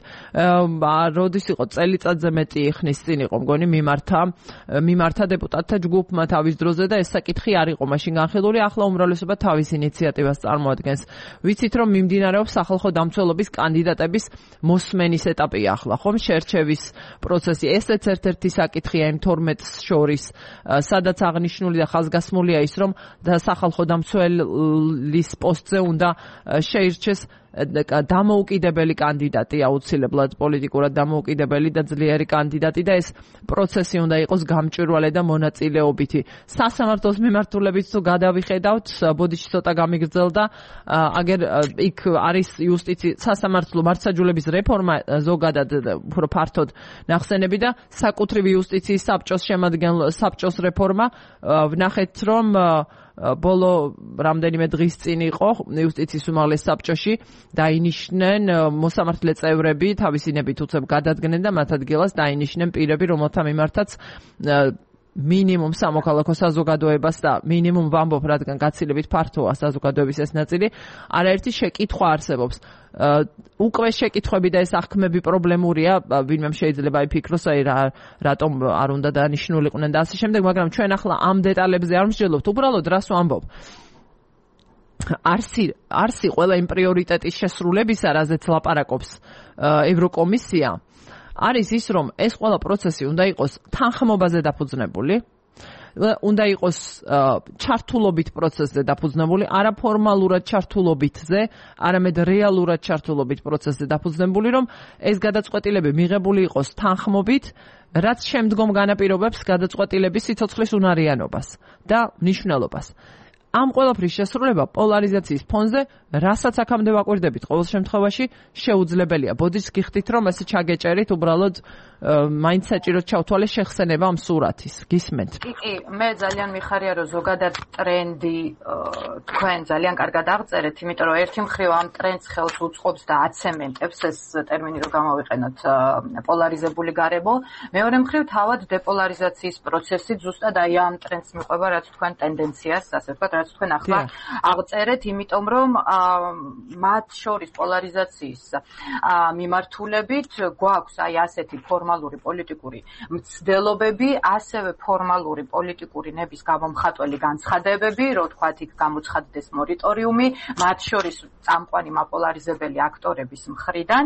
როდის იყო წელიწადზე მეტი ხნის წინ იყო მგონი მიმართა დეპუტატთა ჯგუფმა თავის დროზე და ეს საკითხი არ იყო მაშინ განხილული, ახლა უმრავლესობა თავის ინიციატივას წარმოადგენს. ვიცით რომ მიმდინარეობს სახალხო დამცველობის კანდიდატების მოსმენის ეტაპი ახლა, ხომ შერჩევის პროცესი. ესეც ერთ-ერთი საკითხია იმ 12-ს შორის, სადაც აღნიშნული და ხაზგასმულია ის რომ სახალხო დამცველის პოსტზე უნდა შეირჩეს დამოუკიდებელი კანდიდატი, აუცილებლად პოლიტიკურად დამოუკიდებელი და ძლიერი კანდიდატი და ეს პროცესი უნდა იყოს გამჭვირვალე და მონაწილეობითი. სასამართლოს მიმართულებით თუ გადავიხედავთ, ბოდიში ცოტა გამიგრძელდა, აგერ იქ არის სასამართლო მართლმსაჯულების რეფორმა ზოგადად უფრო ფართოდ ნახსენები და საკუთრივი იუსტიციის საბჭოს რეფორმა. ვნახეთ რომ ბოლო რამდენიმე დღის წინ იყო იუსტიციის უმაღლეს საბჭოში დაინიშნენ მოსამართლე წევრები, თავისინებით უცებ გადადგნენ და მათ ადგილას დაინიშნენ პირები, რომელთა მიმართაც მინიმუმ სამოქალაქო საზოგადოებას და მინიმუმ ვამბობ, რადგან გაცილებით ფართოა საზოგადოების ეს ნაწილი, არაერთი შეკითხვა არსებობს. უკვე შეკითხვები და ეს აღქმები პრობლემურია, ვინმე შეიძლება იფიქროს, რატომ არ უნდა დანიშნულიყვნენ და ასე შემდეგ, მაგრამ ჩვენ ახლა ამ დეტალებზე არ მსჯელობთ, უბრალოდ რას ვამბობ. არსი ყველა იმ პრიორიტეტის შესრულებისა, რაზეც ლაპარაკობს ევროკომისია, არის ის, რომ ეს ყველა პროცესი უნდა იყოს თანხმობაზე დაფუძნებული, უნდა იყოს ჩართულობით პროცესზე დაფუძნებული, არა ფორმალურად ჩართულობითზე, არამედ რეალურად ჩართულობით პროცესზე დაფუძნებული, რომ ეს გადაწყვეტილები მიღებული იყოს თანხმობით, რაც შემდგომ განაპირობებს გადაწყვეტილების სიცოცხლის უნარიანობას და მნიშვნელობას. ამ ყველაფრის შესრულება პოლარიზაციის ფონზე, რასაც აქამდე ვაკვირდებით, ყოველ შემთხვევაში შეუძლებელია. ბოდიშს გიხდით, რომ ესე ჩაგეჭერით, უბრალოდ მაინც საჭიროდ ჩავთვალე შეხსენება ამ სურათის. გისმენთ? კი, მე ძალიან მიხარია, რომ ზოგადად ტრენდი თქვენ ძალიან კარგად აღწერეთ, იმიტომ რომ ერთი მხრივ ამ ტრენდს ხელს უწყობს და აცემენტებს ეს ტერმინი რომ გამოვიყენოთ პოლარიზებული გარემო, მეორე მხრივ თავად დეპოლარიზაციის პროცესი ზუსტად აი ამ ტრენდს მიყვება, რაც თქვენ ტენდენციას, ასე ვთქვათ, რაც თქვენ ახლა აღწერეთ, იმიტომ რომ მათ შორის პოლარიზაციის მიმართულებით გვაქვს აი ასეთი ფორმალური პოლიტიკური მცდელობები, ასევე ფორმალური პოლიტიკური ნების გამომხატველი განცხადებები, რომ თქვათ იქ გამოცხადდეს მორიტორიუმი, მათ შორის წამყვანი მაპოლარიზებელი აქტორების მხრიდან.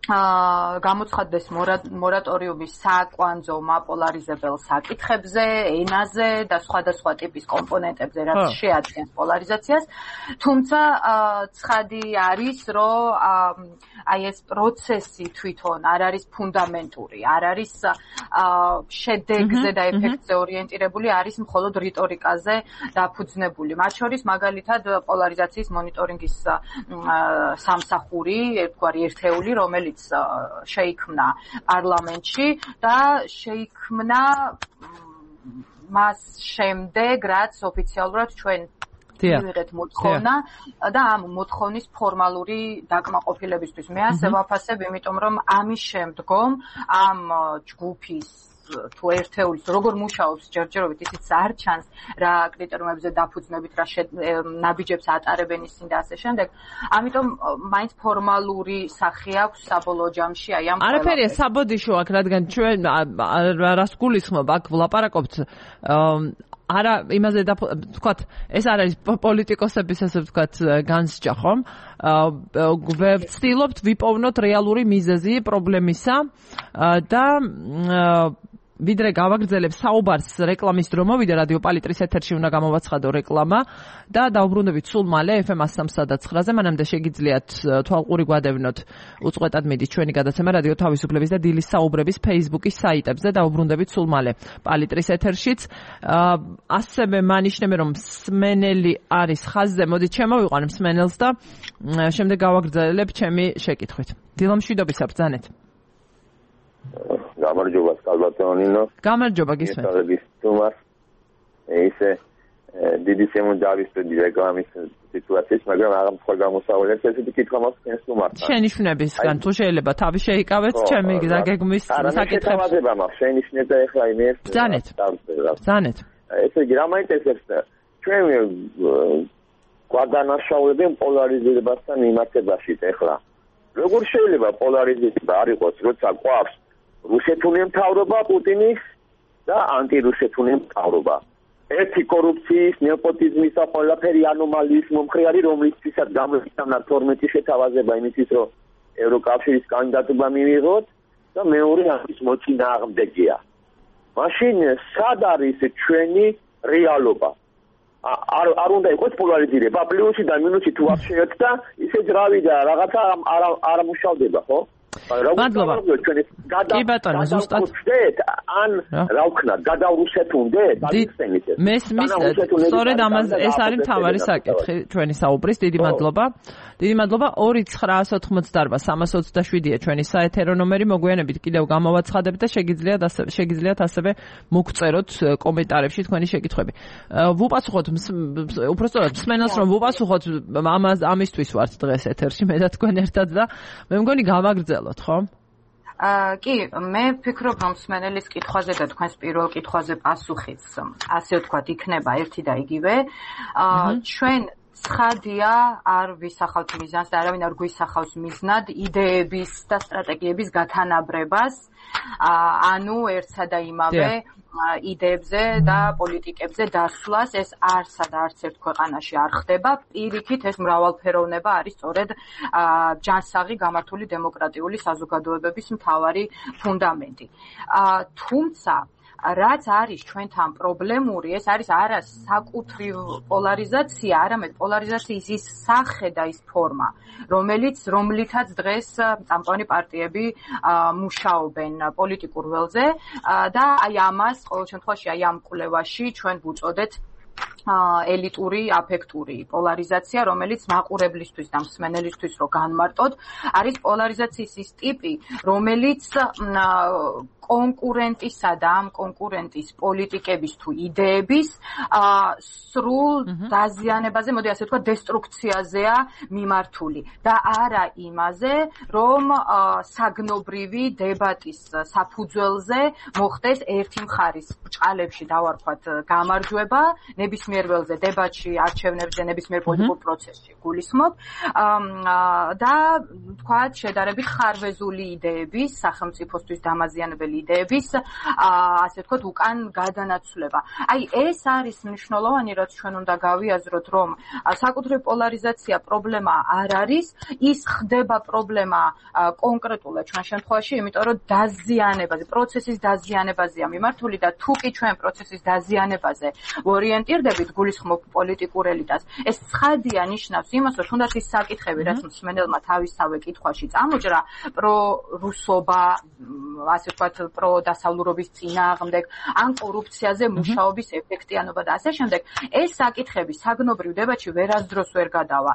გამოცხადდეს მორატორიუმი საკვანძო მაპოლარიზებელ საკითხებზე, ენაზე და სხვადასხვა ტიპის კომპონენტებზე, რაც შეადგენს პოლარიზაციას. თუმცა ცხადი არის, რომ აი ეს პროცესი თვითონ არ არის ფუნდამენტური, არ არის შედეგზე და ეფექტზე ორიენტირებული, არის მხოლოდ რიტორიკაზე დაფუძნებული. მათ შორის მაგალითად პოლარიზაციის მონიტორინგის სამსახური, ერთგვარი ერთეული, რომელიც შეიქმნა პარლამენტში და შეიქმნა მას შემდეგ, რაც ოფიციალურად ჩვენ მივიღეთ მოთხოვნა და ამ მოთხოვნის ფორმალური დაკმაყოფილებისთვის. მე ასე ვაფასებ, იმიტომ რომ ამის შემდგომ ამ ჯგუფის თუ ერთეულის როგორ მუშაობს ჯერჯერობით ისიც არ ჩანს რა კრიტერიუმებზე დაფუძნებით რა ნაბიჯებს ატარებენ ისინი და ასე შემდეგ. ამიტომ მაინც ფორმალური სახე აქვს საბოლოო ჯამში აი ამ არაფერია საბოდიშო აქ, რადგან ჩვენ რას გულისხმობ აქ ვლაპარაკობთ არა იმაზე ვთქვათ, ეს არ არის პოლიტიკოსების ასე ვთქვათ განსჯა, ხომ? ვცდილობთ ვიპოვნოთ რეალური მიზეზი პრობლემისა და ვიდრე გავაგრძელებ საუბარს რეკლამის დრო მოვიდა რადიო პალიტრის ეთერში უნდა გამოვაცხადო რეკლამა და დავბრუნდებით სულ მალე FM 103.9-ზე მანამდე შეგიძლიათ თვალყური გვადევნოთ უწყვეტად მიდის ჩვენი გადაცემა რადიო თავისუფლების და დილის საუბრების Facebook-ის საიტებზე დავბრუნდებით სულ მალე პალიტრის ეთერშიც ასევე მანიშნებე რომ მსმენელი არის ხაზზე მოდით შემოვიყვან მსმენელს და შემდეგ გავაგრძელებ ჩემი შეკითხვით დილო მშვიდობისა ბრძანეთ გამარჯობა სკალბატონინო გამარჯობა გისმენთ ისე დიდი შემოძავისდი რეკლამის სიტუაციის მაგრამ აღარ სხვა გამოსავალებს ესეთი კითხვა მაქვს თქვენს უმართ შენიშვნებისგან თუ შეიძლება თავი შეიკავეთ ჩემი გაგეგმვის საკითხებს მაქვს შენიშვნება ეხლა იმის ბრძანეთ ესე იგი რა მაინტერესებს ჩვენ გვადანაშაულებენ პოლარიზებასთან მიმართებაში ეხლა როგორ შეიძლება პოლარიზება არ იყოს როცა გვაქვს რუსეთული მთავრობა პუტინის და ანტირუსეთული მთავრობა ერთი კორუფციის, ნეპოტიზმის და ყველაფერი ანომალიის მომხრე არის რომლისთვისაც გამოიწვია 12 შეთავაზება იმისთვის რომ ევროკავშირის კანდიდატობა მივიღოთ და მეორე ამის მოწინააღმდეგეა მაშინ სად არის ჩვენი რეალობა არ უნდა იყოს პოლარიზირება პლუსი და მინუსი თუ არ შეერთდა ისე ძრავი და რაღაცა არ მუშავდება ხო მადლობა კი ბატონო ზუსტად ან რა ვქნათ გადავრუსეთუნდეთ მესმის სწორედ ამაზე ეს არის მთავარი საკითხი ჩვენი საუბრის დიდი მადლობა 2988-327-ია ჩვენი საეთერო ნომერი მოგვიანებით კიდევ გამოვაცხადებთ და შეგიძლიათ ასევე მოგწეროთ კომენტარებში თქვენი შეკითხვები ვუპასუხოთ უпростоრად მსმენელს რომ ვუპასუხოთ ამისთვის ვართ დღეს ეთერში მე და თქვენ ერთად და მე მგონი გავაგრძელოთ ხო კი, მე ვფიქრობ, რომ მსმენელის კითხვაზე და თქვენს პირველ კითხვაზე პასუხიც, ასე ვთქვათ, იქნება ერთი და იგივე. ჩვენ ცხადია არ ვისახავთ მიზანს და არავინ არ გვისახავს მიზნად იდეების და სტრატეგიების გათანაბრებას, ანუ ერთსა და იმავე იდეებზე და პოლიტიკებზე დასვლას ეს არც ერთ ქვეყანაში არ ხდება. პირიქით ეს მრავალფეროვნება არის სწორედ ჯანსაღი გამართული დემოკრატიული საზოგადოებების მთავარი ფუნდამენტი. თუმცა რაც არის ჩვენთან პრობლემური, ეს არის არა საკუთრივ პოლარიზაცია, არამედ პოლარიზაციის ის სახე და ის ფორმა, რომლითაც დღეს წამყვანი პარტიები მუშაობენ პოლიტიკურ ველზე და აი ამას ყოველ შემთხვევაში აი ამ კვლევაში ჩვენ ვუწოდეთ ელიტური აფექტური პოლარიზაცია, რომელიც მაყურებლისთვის და მსმენელისთვის რო განმარტოთ, არის პოლარიზაციის ის ტიპი, რომელიც კონკურენტისა და ამ კონკურენტის პოლიტიკების თუ იდეების სრულ დაზიანებაზე, მოდი ასე ვთქვა, დესტრუქციაზეა მიმართული და არა იმაზე, რომ საგნობრივი დებატის საფუძველზე მოხდეს ერთი მხარის ბრჭყალებში დავარქვათ გამარჯვება, ნებისმიერ ველზე დებატში, არჩევნებზე, ნებისმიერ პოლიტიკურ პროცესში გულისხმობ და ვთქვათ, შედარებით ხარვეზული იდეების, სახელმწიფოსთვის დამაზიანებელი იდეების, ასე ვთქვათ, უკან გადანაცვლება. აი, ეს არის მნიშვნელოვანი, რაც ჩვენ უნდა გავიაზროთ, რომ საკუთრივ პოლარიზაცია პრობლემა არ არის, ის ხდება პრობლემა კონკრეტულად ჩვენ შემთხვევაში, იმიტომ რომ დაზიანებაზე, პროცესის დაზიანებაზეა მიმართული და თუ კი ჩვენ პროცესის დაზიანებაზე ორიენტირდებით, გულისხმობ პოლიტიკურ ელიტას, ეს ცხადია ნიშნავს იმას, რომ თუნდაც ის საკითხები, რაც მსმენელმა თავისთავე კითხვაში წამოჭრა, პრორუსობა, ასე ვთქვათ, პროდასავლურობის წინააღმდეგ, ან კორუფციაზე მუშაობის ეფექტიანობა და ასე შემდეგ, ეს საკითხები საგნობრივ დებატში ვერასდროს ვერ გადავა.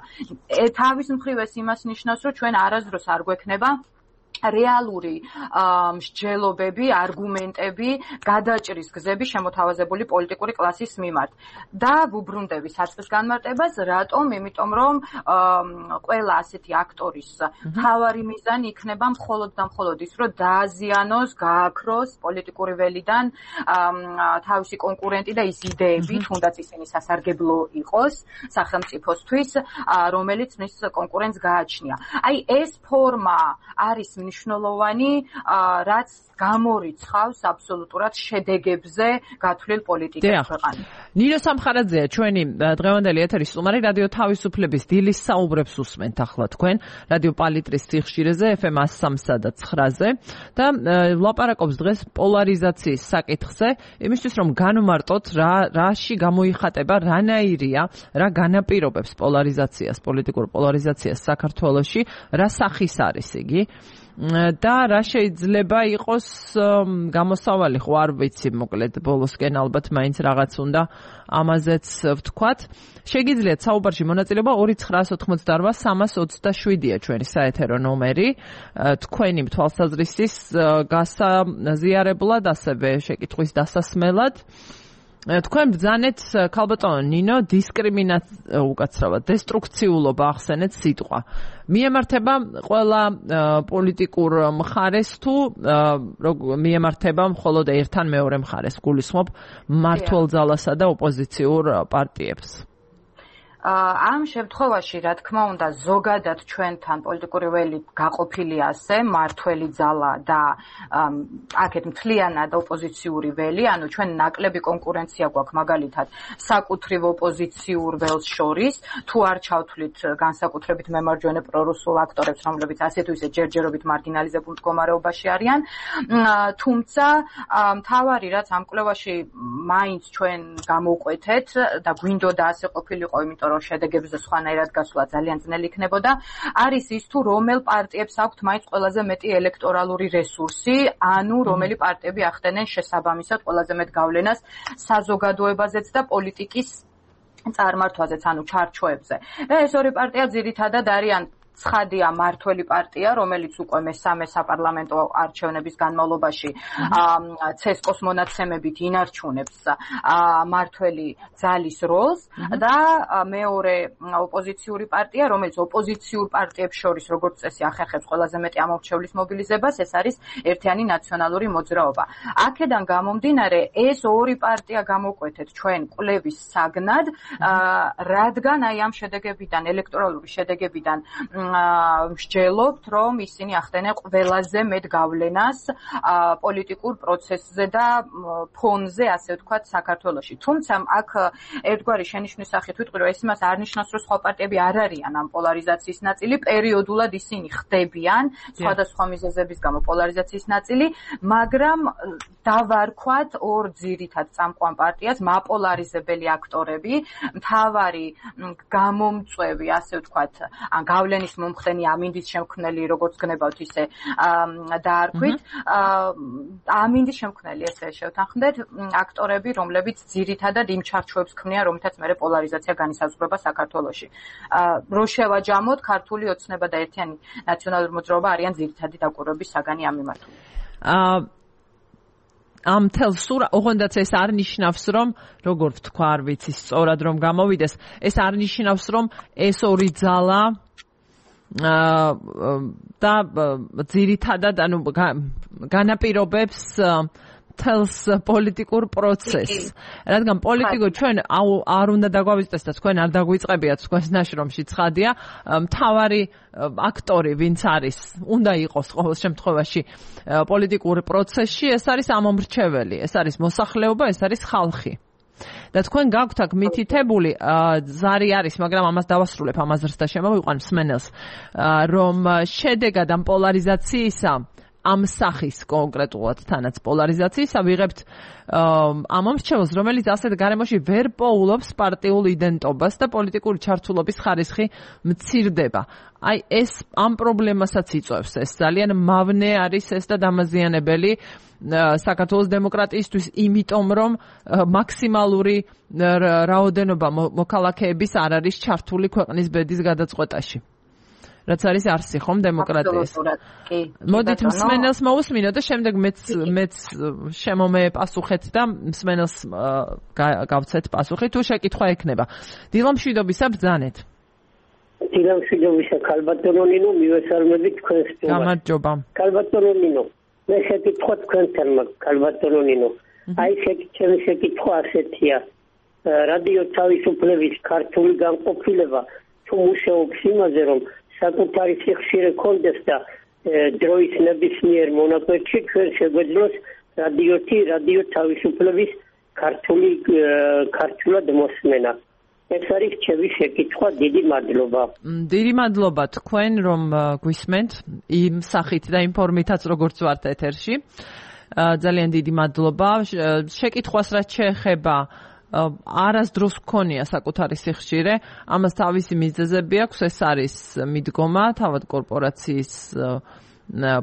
თავის მხრივ ეს იმას ნიშნავს, რომ ჩვენ არასდროს არ გვექნება რეალური მსჯელობები, არგუმენტები, გადაჭრის გზები შემოთავაზებული პოლიტიკური კლასის მიმართ. და ვუბრუნდები საწყის განმარტებას, რატომ? იმიტომ რომ ყველა ასეთი აქტორის მთავარი მიზანი იქნება მხოლოდ და მხოლოდ ის, რომ დააზიანოს, გააქროს პოლიტიკური ველიდან თავისი კონკურენტი და ის იდეები, თუნდაც ისინი სასარგებლო იყოს სახელმწიფოსთვის, რომელიც მის კონკურენტს გააჩნია. აი ეს ფორმა არის მნიშვნელოვანი, რაც გამორიცხავს აბსოლუტურად შედეგებზე გათვლილ პოლიტიკას ქვეყანაში. ნინო სამხარაძეა ჩვენი დღევანდელი ეთერის სტუმარი, რადიო თავისუფლების დილის საუბრებს უსმენთ ახლა თქვენ რადიო პალიტრის სიხშირეზე FM 103 და 9-ზე და ვლაპარაკობს დღეს პოლარიზაციის საკითხზე, იმისთვის რომ განვმარტოთ რაში გამოიხატება, რანაირია, რა განაპირობებს პოლარიზაციას, პოლიტიკურ პოლარიზაციას საქართველოში, რა სახის არის იგი და რა შეიძლება იყოს გამოსავალი, ხო არ ვიცი, მოკლედ ბოლოსკენ ალბათ მაინც რაღაც უნდა ამაზეც ვთქვათ. შეგიძლიათ საუბარში მონაწილეობა 2988327-ია ჩვენი საეთერო ნომერი, თქვენი თვალსაზრისის გასაზიარებლად, ასევე შეკითხვის დასასმელად. თქვენ ბრძანეთ ქალბატონო ნინო უკაცრავად დესტრუქციულობა ახსენეთ სიტყვა. მიემართება ყველა პოლიტიკურ მხარეს თუ მიემართება მხოლოდ ერთთან მეორე მხარეს, გულისხმობ მმართველ ძალასა და ოპოზიციურ პარტიებს? ამ შემთხვევაში, რა თქმა უნდა, ზოგადად ჩვენთან პოლიტიკური ველი გაყოფილი ასე, მმართველი ძალა და აქეთ მთლიანად ოპოზიციური ველი, ანუ ჩვენ ნაკლები კონკურენცია გვაქვს მაგალითად საკუთრივ ოპოზიციურ ველს შორის, თუ არ ჩავთვლით განსაკუთრებით მემარჯვენე პრორუსულ აქტორებს, რომლებიც ასე თუ ისე ჯერჯერობით მარგინალიზებულ მდგომარეობაში არიან, თუმცა მთავარი რაც ამ კვლევაში მაინც ჩვენ გამოვყვეთეთ და გვინდოდა ასე ყოფილიყო, იმიტომ რომ შედეგებზე სხვანაირად გასვლა ძალიან ძნელი იქნებოდა, არის ის თუ რომელ პარტიებს აქვთ მაინც ყველაზე მეტი ელექტორალური რესურსი, ანუ რომელი პარტიები ახდენენ შესაბამისად ყველაზე მეტ გავლენას საზოგადოებაზეც და პოლიტიკის წარმართვაზეც, ანუ ჩარჩოებზე. და ეს ორი პარტია ძირითადად არიან ცხადია მმართველი პარტია, რომელიც უკვე მესამე საპარლამენტო არჩევნების განმავლობაში ცესკოს მონაცემებით ინარჩუნებს მმართველი ძალის როლს და მეორე ოპოზიციური პარტია, რომელიც ოპოზიციურ პარტიებს შორის როგორც წესი ახერხებს ყველაზე მეტი ამორჩევლის მობილიზებას, ეს არის ერთიანი ნაციონალური მოძრაობა. აქედან გამომდინარე, ეს ორი პარტია გამოვკვეთეთ ჩვენ კვლევის საგნად, რადგან აი ამ შედეგებიდან, ელექტორალური შედეგებიდან მსჯელობთ, რომ ისინი ახდენენ ყველაზე მეტ გავლენას პოლიტიკურ პროცესზე და ფონზე, ასე ვთქვათ, საქართველოში. თუმცა აქ ერთგვარი შენიშვნის სახით ვიტყვი, რომ ეს იმას არ ნიშნავს, რომ სხვა პარტიები არ არიან ამ პოლარიზაციის ნაწილი, პერიოდულად ისინი ხდებიან სხვადასხვა მიზეზების გამო პოლარიზაციის ნაწილი, მაგრამ დავარქვათ ორ ძირითად წამყვან პარტიას, მაპოლარიზებელი აქტორები, მთავარი გამომწვევი, ასე ვთქვათ, ან გავლენის მომხდენი ამინდის შემქმნელი, როგორც გნებავთ ისე დაარქვით, ამინდის შემქმნელი, ესე შევთანხმდეთ, აქტორები, რომლებიც ძირითადად იმ ჩარჩოებს ქმნიან, რომლითაც მერე პოლარიზაცია განისაზღვრება საქართველოში. რო შევაჯამოთ, ქართული ოცნება და ერთიანი ნაციონალური მოძრაობა არიან ძირითადი დაკვირვების საგანი ამ მიმართულებით. ამ თელსურა, ოღონდაც ეს არ ნიშნავს, რომ როგორ ვთქვა, არ ვიცი სწორად რომ გამოვიდეს, ეს არ ნიშნავს, რომ ეს ორი ძალა და ძირითადად ანუ განაპირობებს თელს პოლიტიკურ პროცესს. რადგან პოლიტიკო ჩვენ არ უნდა დაგვავიწყდეს და თქვენ არ დაგვიწყებიათ თქვენს ნაშრომში ცხადია, მთავარი აქტორი ვინც არის, უნდა იყოს ყოველ შემთხვევაში პოლიტიკურ პროცესში, ეს არის ამომრჩეველი, ეს არის მოსახლეობა, ეს არის ხალხი. და თქვენ გაქვთ აქ მითითებული ზარი არის, მაგრამ ამას დავასრულებ, ამაზრს და შემოვიყვან მსმენელს, რომ შედეგად ამ პოლარიზაციისა, ამ სახის კონკრეტულად თანაც პოლარიზაციისა ვიღებთ ამომრჩეველს, რომელიც ასეთ გარემოში ვერ პოულობს პარტიულ იდენტობას და პოლიტიკური ჩართულობის ხარისხი მცირდება. აი ეს ამ პრობლემასაც იწვევს, ეს ძალიან მავნე არის ეს და დამაზიანებელი საქართველოს დემოკრატიისთვის, იმიტომ რომ მაქსიმალური რაოდენობა მოქალაქეების არ არის ჩართული ქვეყნის ბედის გადაწყვეტაში. რაც არის არსი ხომ დემოკრატიის. მოდით მსმენელს მოусმინოთ და შემდეგ მეც შემომე პასუხეთ და მსმენელს გავცეთ პასუხი თუ შეკითხვა ექნება. დილამშვიდობისა ბრძანეთ. დილამშვიდობისა ქალბატონო ნინო, მივესალმებით თქვენს სტუმარს. გამარჯობა. ქალბატონო ნინო, მე შეკითხვა თქვენთან მაქვს ქალბატონო ნინო. აი ჩემი შეკითხვა ასეთია. რადიო თავისუფლების ქართული განყოფილება თუ მუშაობს იმაზე, რომ საკუთარი სიხშირე კონდეს და დროის ნებისმიერ მონაკვეთში ჩვენ შეგვეძლოს რადიო თავისუფლების ქართულად მოსმენა. ეს არის ჩემი შეკითხვა, დიდი მადლობა. დიდი მადლობა თქვენ რომ გვისმენთ იმ სახით და იმ ფორმითაც როგორც ვართ ეთერში. ძალიან დიდი მადლობა. შეკითხვას რაც შეეხება არასდროს გქონია საკუთარი სიხშირე, ამას თავისი მიზეზები აქვს, ეს არის მიდგომა, თავად კორპორაციის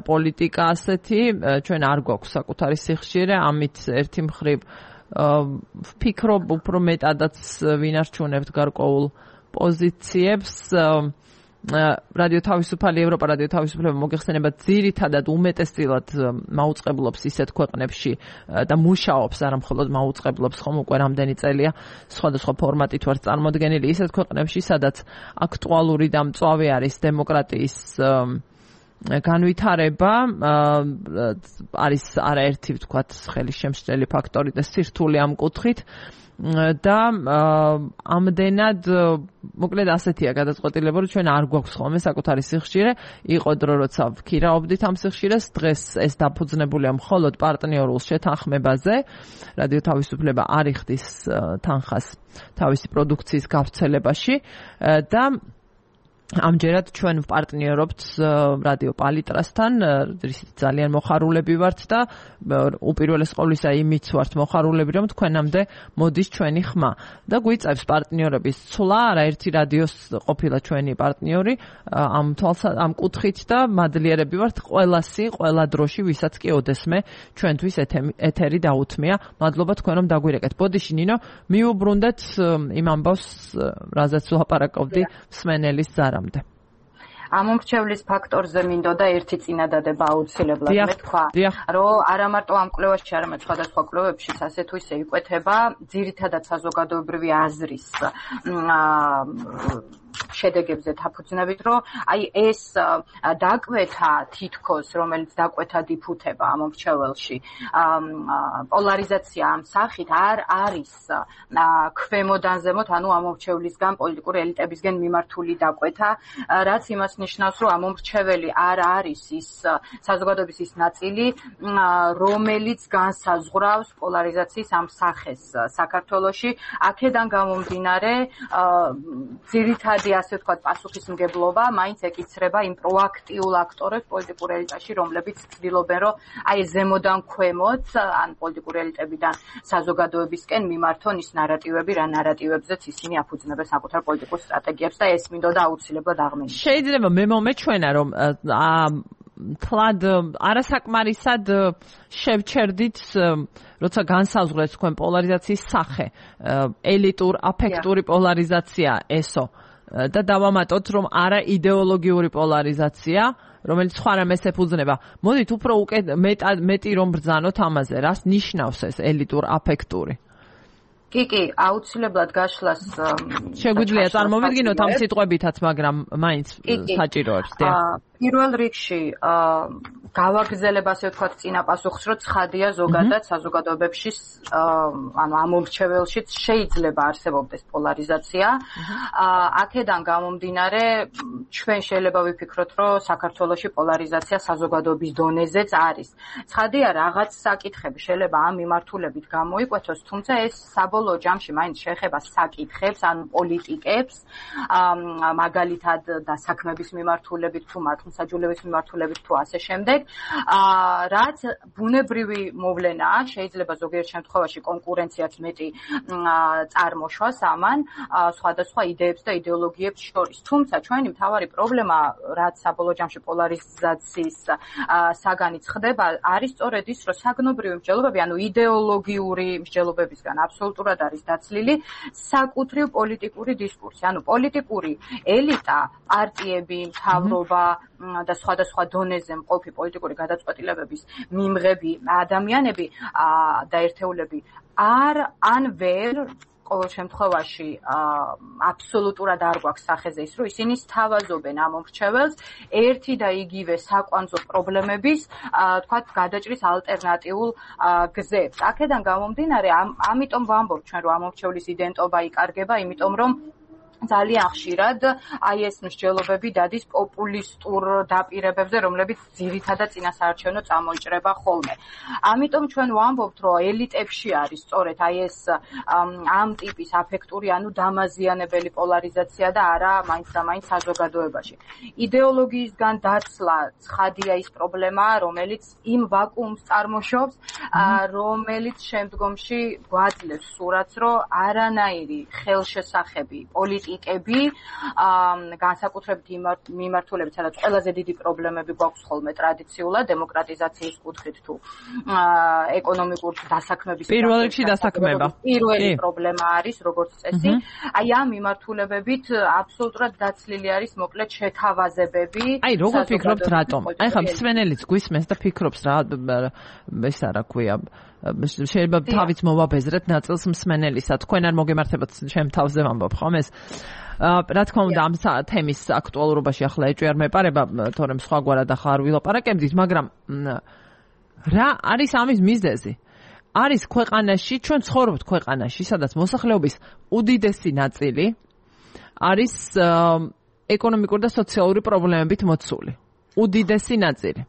პოლიტიკა ასეთი, ჩვენ არ გვაქვს საკუთარი სიხშირე, ამით ერთი მხრივ ვფიქრობ უფრო მეტადაც ვინარჩუნებთ გარკვეულ პოზიციებს. რადიო თავისუფალი ევროპა, რადიო თავისუფლება მოგეხსენება ძირითადად უმეტესწილად მაუწყებლობს ისეთ ქვეყნებში და მუშაობს, არა მხოლოდ მაუწყებლობს, ხომ უკვე რამდენი წელია სხვადასხვა ფორმატით ვარ წარმოდგენილი ისეთ ქვეყნებში, სადაც აქტუალური და მწვავე არის დემოკრატიის განვითარება, არის არაერთი ვთქვათ ხელისშემშლელი ფაქტორი და სირთულე ამ კუთხით და ამდენად მოკლედ ასეთია გადაწყვეტილება, რომ ჩვენ არ გვაქვს ხოლმე საკუთარი სიხშირე, იყო დრო როცა ვქირაობდით ამ სიხშირეს, დღეს ეს დაფუძნებულია მხოლოდ პარტნიორულ შეთანხმებაზე, რადიო თავისუფლება არ იხდის თანხას თავისი პროდუქციის გავრცელებაში და ამჯერად ჩვენ ვპარტნიორობთ რადიო პალიტრასთან, რისით ძალიან მოხარულები ვართ და უპირველეს ყოვლისა იმით ვართ მოხარულები, რომ თქვენამდე მოდის ჩვენი ხმა და გვიწევს პარტნიორების ცვლა, არაერთი რადიოს ყოფილა ჩვენი პარტნიორი ამ კუთხით და მადლიერები ვართ ყველა დროში, ვისაც კი ოდესმე ჩვენთვის ეთერი დაუთმია. მადლობა თქვენ რომ დაგვირეკეთ. ბოდიში ნინო, მიუბრუნდეთ იმ ამბავს, რაზეც ვლაპარაკობდი მსმენელის ზარამდე. ამომრჩევლის ფაქტორზე მინდოდა ერთი წინადადება აუცილებლად მეთქვა, რომ არა მარტო ამ კვლევაში, არამედ სხვადასხვა კვლევებშიც ასე თუ ისე იკვეთება ძირითადად საზოგადოებრივი აზრის შედეგებზე დაფუძნებით, რომ აი ეს დაკვეთა თითქოს, რომელიც დაკვეთა დიფუთება ამომრჩეველში, პოლარიზაცია ამ სახით არ არის ქვემოდან ზემოთ, ანუ ამომრჩევლისგან, პოლიტიკური ელიტებისგან მიმართული დაკვეთა, რაც იმას ნიშნავს, რომ ამომრჩეველი არ არის ის საზოგადოების ის ნაწილი, რომელიც განსაზღვრავს პოლარიზაციის ამ სახეს საქართველოში. აქედან გამომდინარე, ძირითადი ასე ვთქვათ პასუხისმგებლობა მაინც ეკიცრება იმ პროაქტიულ აქტორებს პოლიტიკურ ელიტაში, რომლებიც ცდილობენ, რომ აი ზემოდან ქვემოთ, ან პოლიტიკური ელიტებიდან საზოგადოებისკენ მიმართონ ის ნარატივები, რა ნარატივებზეც ისინი აფუძნებენ საკუთარ პოლიტიკურ სტრატეგიებს და ეს მინდოდა აუცილებლად აღმეჩნდეს. შეიძლება მე მომეჩვენა, რომ თლად არასაკმარისად შევჩერდით, როცა განსაზღვრეთ თქვენ პოლარიზაციის სახე, ელიტურ, აფექტური პოლარიზაცია ესო და დავამატოთ, რომ არა იდეოლოგიური პოლარიზაცია, რომელიც სხვა რამეს ეფუძნება. მოდით უფრო მეტი რომ ბრძანოთ ამაზე, რას ნიშნავს ეს ელიტურ აფექტური? კი, აუცილებლად გაშლას შეგვიძლია წარმოვიდგინოთ ამ სიტყვებითაც, მაგრამ მაინც საჭიროებს. პირველ რიგში გავაგრძელებ ასე ვთქვათ წინა პასუხს, რომ ცხადია ზოგადად საზოგადოებებში, ანუ ამომრჩეველშიც შეიძლება არსებობდეს პოლარიზაცია. აქედან გამომდინარე, ჩვენ შეიძლება ვიფიქროთ, რომ საქართველოში პოლარიზაცია საზოგადოების დონეზეც არის. ცხადია, რაღაც საკითხები შეიძლება ამ მიმართულებით გამოიკვეთოს, თუმცა ეს საბოლოო ჯამში მაინც შეეხება საკითხებს, ანუ პოლიტიკებს, მაგალითად და საქმების მიმართულებით თუ მართლმსაჯულების მიმართულებით თუ ასე შემდეგ, რაც ბუნებრივი მოვლენაა, შეიძლება ზოგიერთ შემთხვევაში კონკურენციაც მეტი წარმოშვას ამან სხვადასხვა იდეებს და იდეოლოგიებს შორის. თუმცა ჩვენი მთავარი პრობლემა, რაც საბოლოო ჯამში პოლარიზაციის საგანიც ხდება, არის სწორედ ის, რომ საგნობრივი მსჯელობები, ანუ იდეოლოგიური მსჯელობებისგან აბსოლუტურად არის დაცლილი საკუთრივ პოლიტიკური დისკურსი. ანუ პოლიტიკური ელიტა, პარტიები, მთავრობა და სხვადასხვა დონეზე მყოფი პოლიტიკური გადაწყვეტილებების მიმღები ადამიანები და ერთეულები ან ვერ ყოველ შემთხვევაში აბსოლუტურად არ გვაქვს სახეზე ის, რომ ისინი სთავაზობენ ამომრჩეველს ერთი და იგივე საკვანძო პრობლემების, თქვათ, გადაჭრის ალტერნატიულ გზებს. აქედან გამომდინარე, ამიტომ ვამბობ ჩვენ, რომ ამომრჩევლის იდენტობა იკარგება, იმიტომ რომ ძალიან ხშირად აი ეს მსჯელობები დადის პოპულისტურ დაპირებებზე, რომლებიც ძირითადად წინასაარჩევნო წამოიჭრება ხოლმე. ამიტომ ჩვენ ვამბობთ, რომ ელიტებში არის სწორედ აი ეს ამ ტიპის აფექტური, ანუ დამაზიანებელი პოლარიზაცია და არა მაინც და მაინც საზოგადოებაში. იდეოლოგიისგან დაცლა ცხადია ის პრობლემა, რომელიც იმ ვაკუუმს წარმოშობს, რომელიც შემდგომში გვაძლევს სურათს, რომ არანაირი ხელშესახები პოლიტიკები, განსაკუთრებით მიმართულებით, სადაც ყველაზე დიდი პრობლემები გვაქვს ხოლმე ტრადიციულად დემოკრატიზაციის კუთხით თუ ეკონომიკურ დასაქმების პირველ რიგში დასაქმება. პირველი პრობლემა არის, როგორც წესი. აი ამ მიმართულებებით აბსოლუტურად დაცლილი არის მოკლედ შეთავაზებები. აი როგორ ფიქრობთ რატომ? აი ხა მსმენელიც გვისმენს და ფიქრობს რა ეს რა ქვია შეიძლება თავით მოვაბეზრეთ ნაწილს მსმენელისა. თქვენ არ მოგემართებათ ჩემ თავზე ვამბობ ხომ ეს? რა თქმა უნდა ამ თემის აქტუალურობაში ახლა ეჭვი არ მეპარება, თორემ სხვაგვარად ახლა არ ვილაპარაკებდით, მაგრამ რა არის ამის მიზეზი? არის ქვეყანაში, ჩვენ ცხოვრობთ ქვეყანაში, სადაც მოსახლეობის უდიდესი ნაწილი არის ეკონომიკური და სოციალური პრობლემებით მოცული. უდიდესი ნაწილი.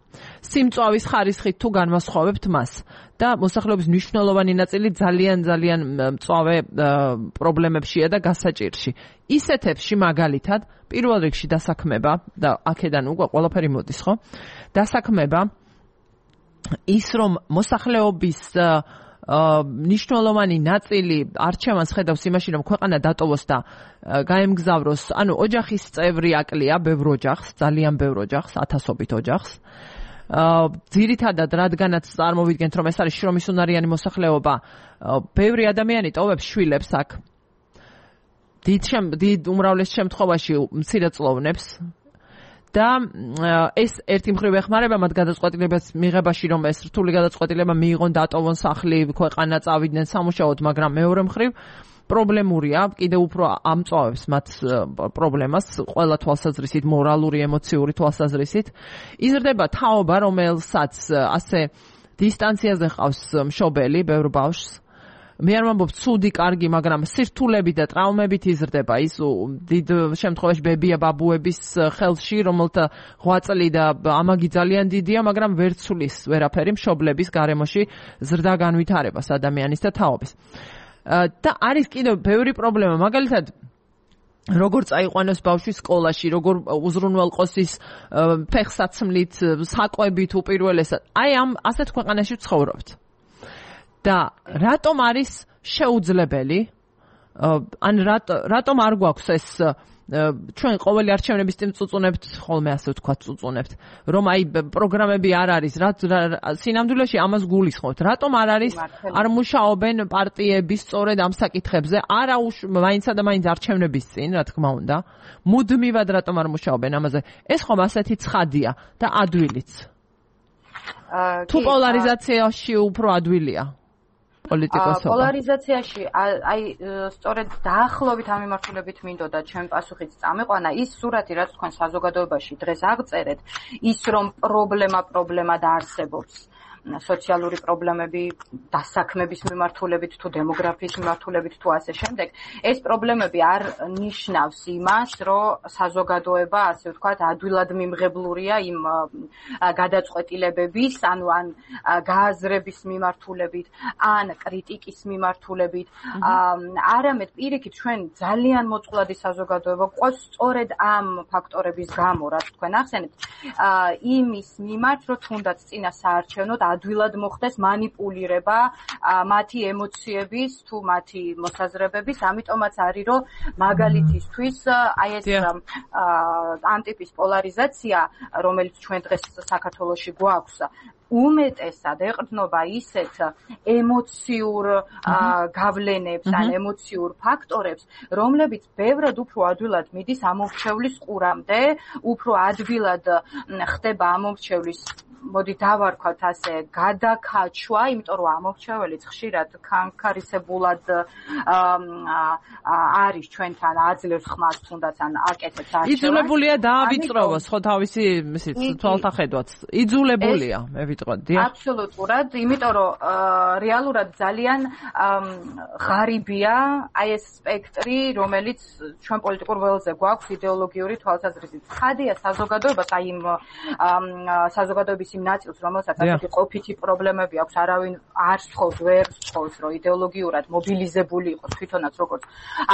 სიმწვავის ხარისხით თუ განვასხვავებთ მას და მოსახლეობის მნიშვნელოვანი ნაწილი ძალიან მწვავე პრობლემებშია და გასაჭირში. ისეთებში მაგალითად პირველ რიგში დასაქმება და აქედან უკვე ყველაფერი მოდის, ხო? დასაქმება ის რომ მოსახლეობის მნიშვნელოვანი ნაწილი არჩევანს ხედავს იმაში, რომ ქვეყანა დატოვოს და გაემგზავროს, ანუ ოჯახის წევრი აკლია ბევრ ოჯახს, ძალიან ბევრ ოჯახს, ათასობით ოჯახს. ძირითადად რადგანაც წარმოვიდგენთ, რომ ეს არის შრომისუნარიანი მოსახლეობა, ბევრი ადამიანი ტოვებს შვილებს აქ. დიდ უმრავლეს შემთხვევაში მცირეწლოვნებს. და ეს ერთი მხრივ ეხმარება მათ გადაწყვეტილებას მიღებაში, რომ ეს რთული გადაწყვეტილება მიიღონ, დატოვონ სახლი, ქვეყანა წავიდნენ სამუშაოდ, მაგრამ მეორე მხრივ პრობლემურია, კიდევ უფრო ამწვავებს მათ პრობლემას, ყველა თვალსაზრისით, მორალური, ემოციური თვალსაზრისით. იზრდება თაობა, რომელსაც ასე დისტანციაზე ყავს მშობელი, ბევრ ბავშვს. მე არ ვამბობ ცუდი, კარგი, მაგრამ სირთულები და ტრაუმებით იზრდება ის დიდ შემთხვევაში ბებია ბაბუების ხელში, რომელთა ღვაწლი და ამაგი ძალიან დიდია, მაგრამ ვერ ცulis ვერაფერი მშობლების გარემოში ზრდა განვითარებას ადამიანის და თაობის. და არის კიდევ ბევრი პრობლემა, მაგალითად როგორ წაიყვანოს ბავშვი სკოლაში, როგორ უზრუნველყოს ის ფეხსაცმლით, საკვებით უპირველესად. აი ამ ასეთ ქვეყანაში ვცხოვრობთ. და რატომ არის შეუძლებელი? ან რატომ არ გვაქვს ეს ჩვენ ყოველი არჩევნების წინ წუწუნებთ, ხოლმე ასე ვთქვათ, წუწუნებთ, რომ აი პროგრამები არ არის, სინამდვილეში ამას გულისხმობთ. რატომ არ არის, არ მუშაობენ პარტიები სწორედ ამ საკითხებზე, არა მაინცა და მაინც არჩევნების წინ, რა თქმა უნდა, მუდმივად რატომ არ მუშაობენ ამაზე? ეს ხომ ასეთი ცხადია და ადვილიც. თუ პოლარიზაციაში უფრო ადვილია? პოლარიზაციაში აი სწორედ დაახლოებით ამ მიმართულებით მინდოდა ჩემ პასუხიც წამეყვანა ის სურათი, რაც თქვენ საზოგადოებაში დღეს აღწერეთ, ის რომ პრობლემა დაარსებობს სოციალური პრობლემები დასაქმების მიმართულებით თუ დემოგრაფიის მიმართულებით თუ ასე შემდეგ, ეს პრობლემები არ ნიშნავს იმას, რომ საზოგადოება, ასე ვთქვათ, ადვილად მიმღებლურია იმ გადაწყვეტილებების, ანუ ან გააზრების მიმართულებით, ან კრიტიკის მიმართულებით, არამედ პირიქით ჩვენ ძალიან მოწყვლადი საზოგადოება გვყავს სწორედ ამ ფაქტორების გამო, რაც თქვენ ახსენეთ, იმის მიმართ, რომ თუნდაც წინასაარჩევნოდ ადვილად მოხდეს манипулირება მათი ემოციების თუ მათი მოსაზრებების, ამიტომაც არის რომ მაგალითისთვის აი ეს ამ ტიპის პოლარიზაცია, რომელიც ჩვენ დღეს საქართველოში გვაქვს, უმეტესად ეყრდნობა ისეთ ემოციურ გავლენებს ან ემოციურ ფაქტორებს, რომლებიც ბევრად უფრო ადვილად მიდის ამომრჩევლის ყურამდე, უფრო ადვილად ხდება ამომრჩევლის მოდი დავარქვათ ასე, გადაკაჩვა, იმიტომ რომ ამორჩეველიც ხშირად ქანქარისებულად არის ჩვენთან აძლევს ხმას თუნდაც ან აკეთებს არჩევანს. იძულებულია დაავიწყროვოს, ხო თავისი თვალთახედვაც. იძულებულია, მე ვიტყოდი. აბსოლუტურად, იმიტომ რომ რეალურად ძალიან ღარიბია აი ეს სპექტრი, რომელიც ჩვენ პოლიტიკურ ველზე გვაქვს იდეოლოგიური თვალსაზრისით. ხადია საზოგადოებას აი იმ საზოგადოების იმ ნაწილს, რომელსაც ასეთი ყოფითი პრობლემები აქვს, არავინ არ სთხოვს, ვერ სთხოვს, რომ იდეოლოგიურად მობილიზებული იყოს თვითონაც როგორც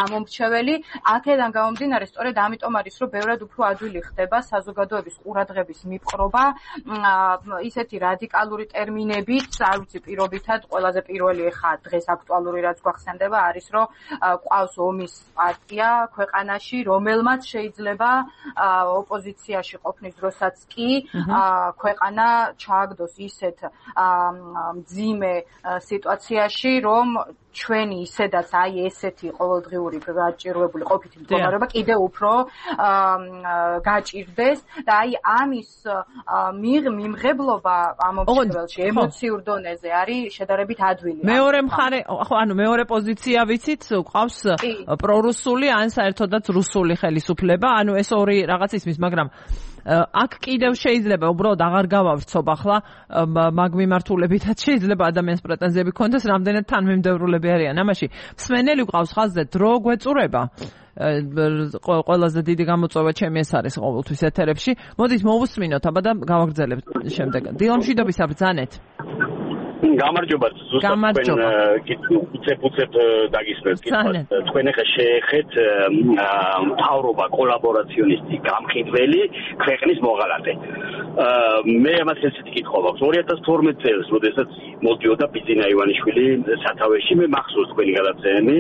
ამომრჩეველი. აქედან გამომდინარე, სწორედ ამიტომ არის, რომ ბევრად უფრო ადვილი ხდება საზოგადოების ყურადღების მიპყრობა ისეთი რადიკალური ტერმინებით, არ ვიცი, პირობითად ყველაზე პირველი ხა დღეს აქტუალური რაც გვახსენდება არის, რომ ყავს ომის პარტია ქვეყანაში, რომელმაც შეიძლება ოპოზიციაში ყოფნის დროსაც კი ქვეყანა ჩააგდოს ისეთ მძიმე სიტუაციაში, რომ ჩვენი ისედაც აი ესეთი ყოველდღიური გაჭირვებული ყოფითი მდგომარეობა კიდევ უფრო გაჭირდეს და აი ამის მიმღებლობა ამომრჩეველში ემოციურ დონეზე არის შედარებით ადვილი. მეორე მხარე, ხო, ანუ მეორე პოზიცია ვიცით, ყავს პრორუსული ან საერთოდაც რუსული ხელისუფლება, ანუ ეს ორი რაღაც ისმის, მაგრამ აქ კიდევ შეიძლება უბრალოდ აღარ გავავრცობ ახლა მაგ მიმართულებითაც შეიძლება ადამიანს პრეტენზიები ქონდეს, რამდენად თანმიმდევრულები არიან ამაში. მსმენელი ყავს ხაზზე, დრო გვეწურება. ყველაზე დიდი გამოწვევა ჩემი ეს არის ყოველთვის ეთერებში. მოდით მოვუსმინოთ აბა და გავაგრძელებთ შემდეგ. დილამშვიდობის აბრძანეთ. გამარჯობა, ზუსტად თქვენ უცებ დაგისმენთ კითხვას. თქვენ ახლა შეეხეთ მთავრობა კოლაბორაციონისტი გამყიდველი ქვეყნის მოღალატე. მე ამას ესეთი კითხვა მაქვს. 2012 წელს, როდესაც მოდიოდა ბიძინა ივანიშვილი სათავეში, მე მახსოვს თქვენი გადაცემები,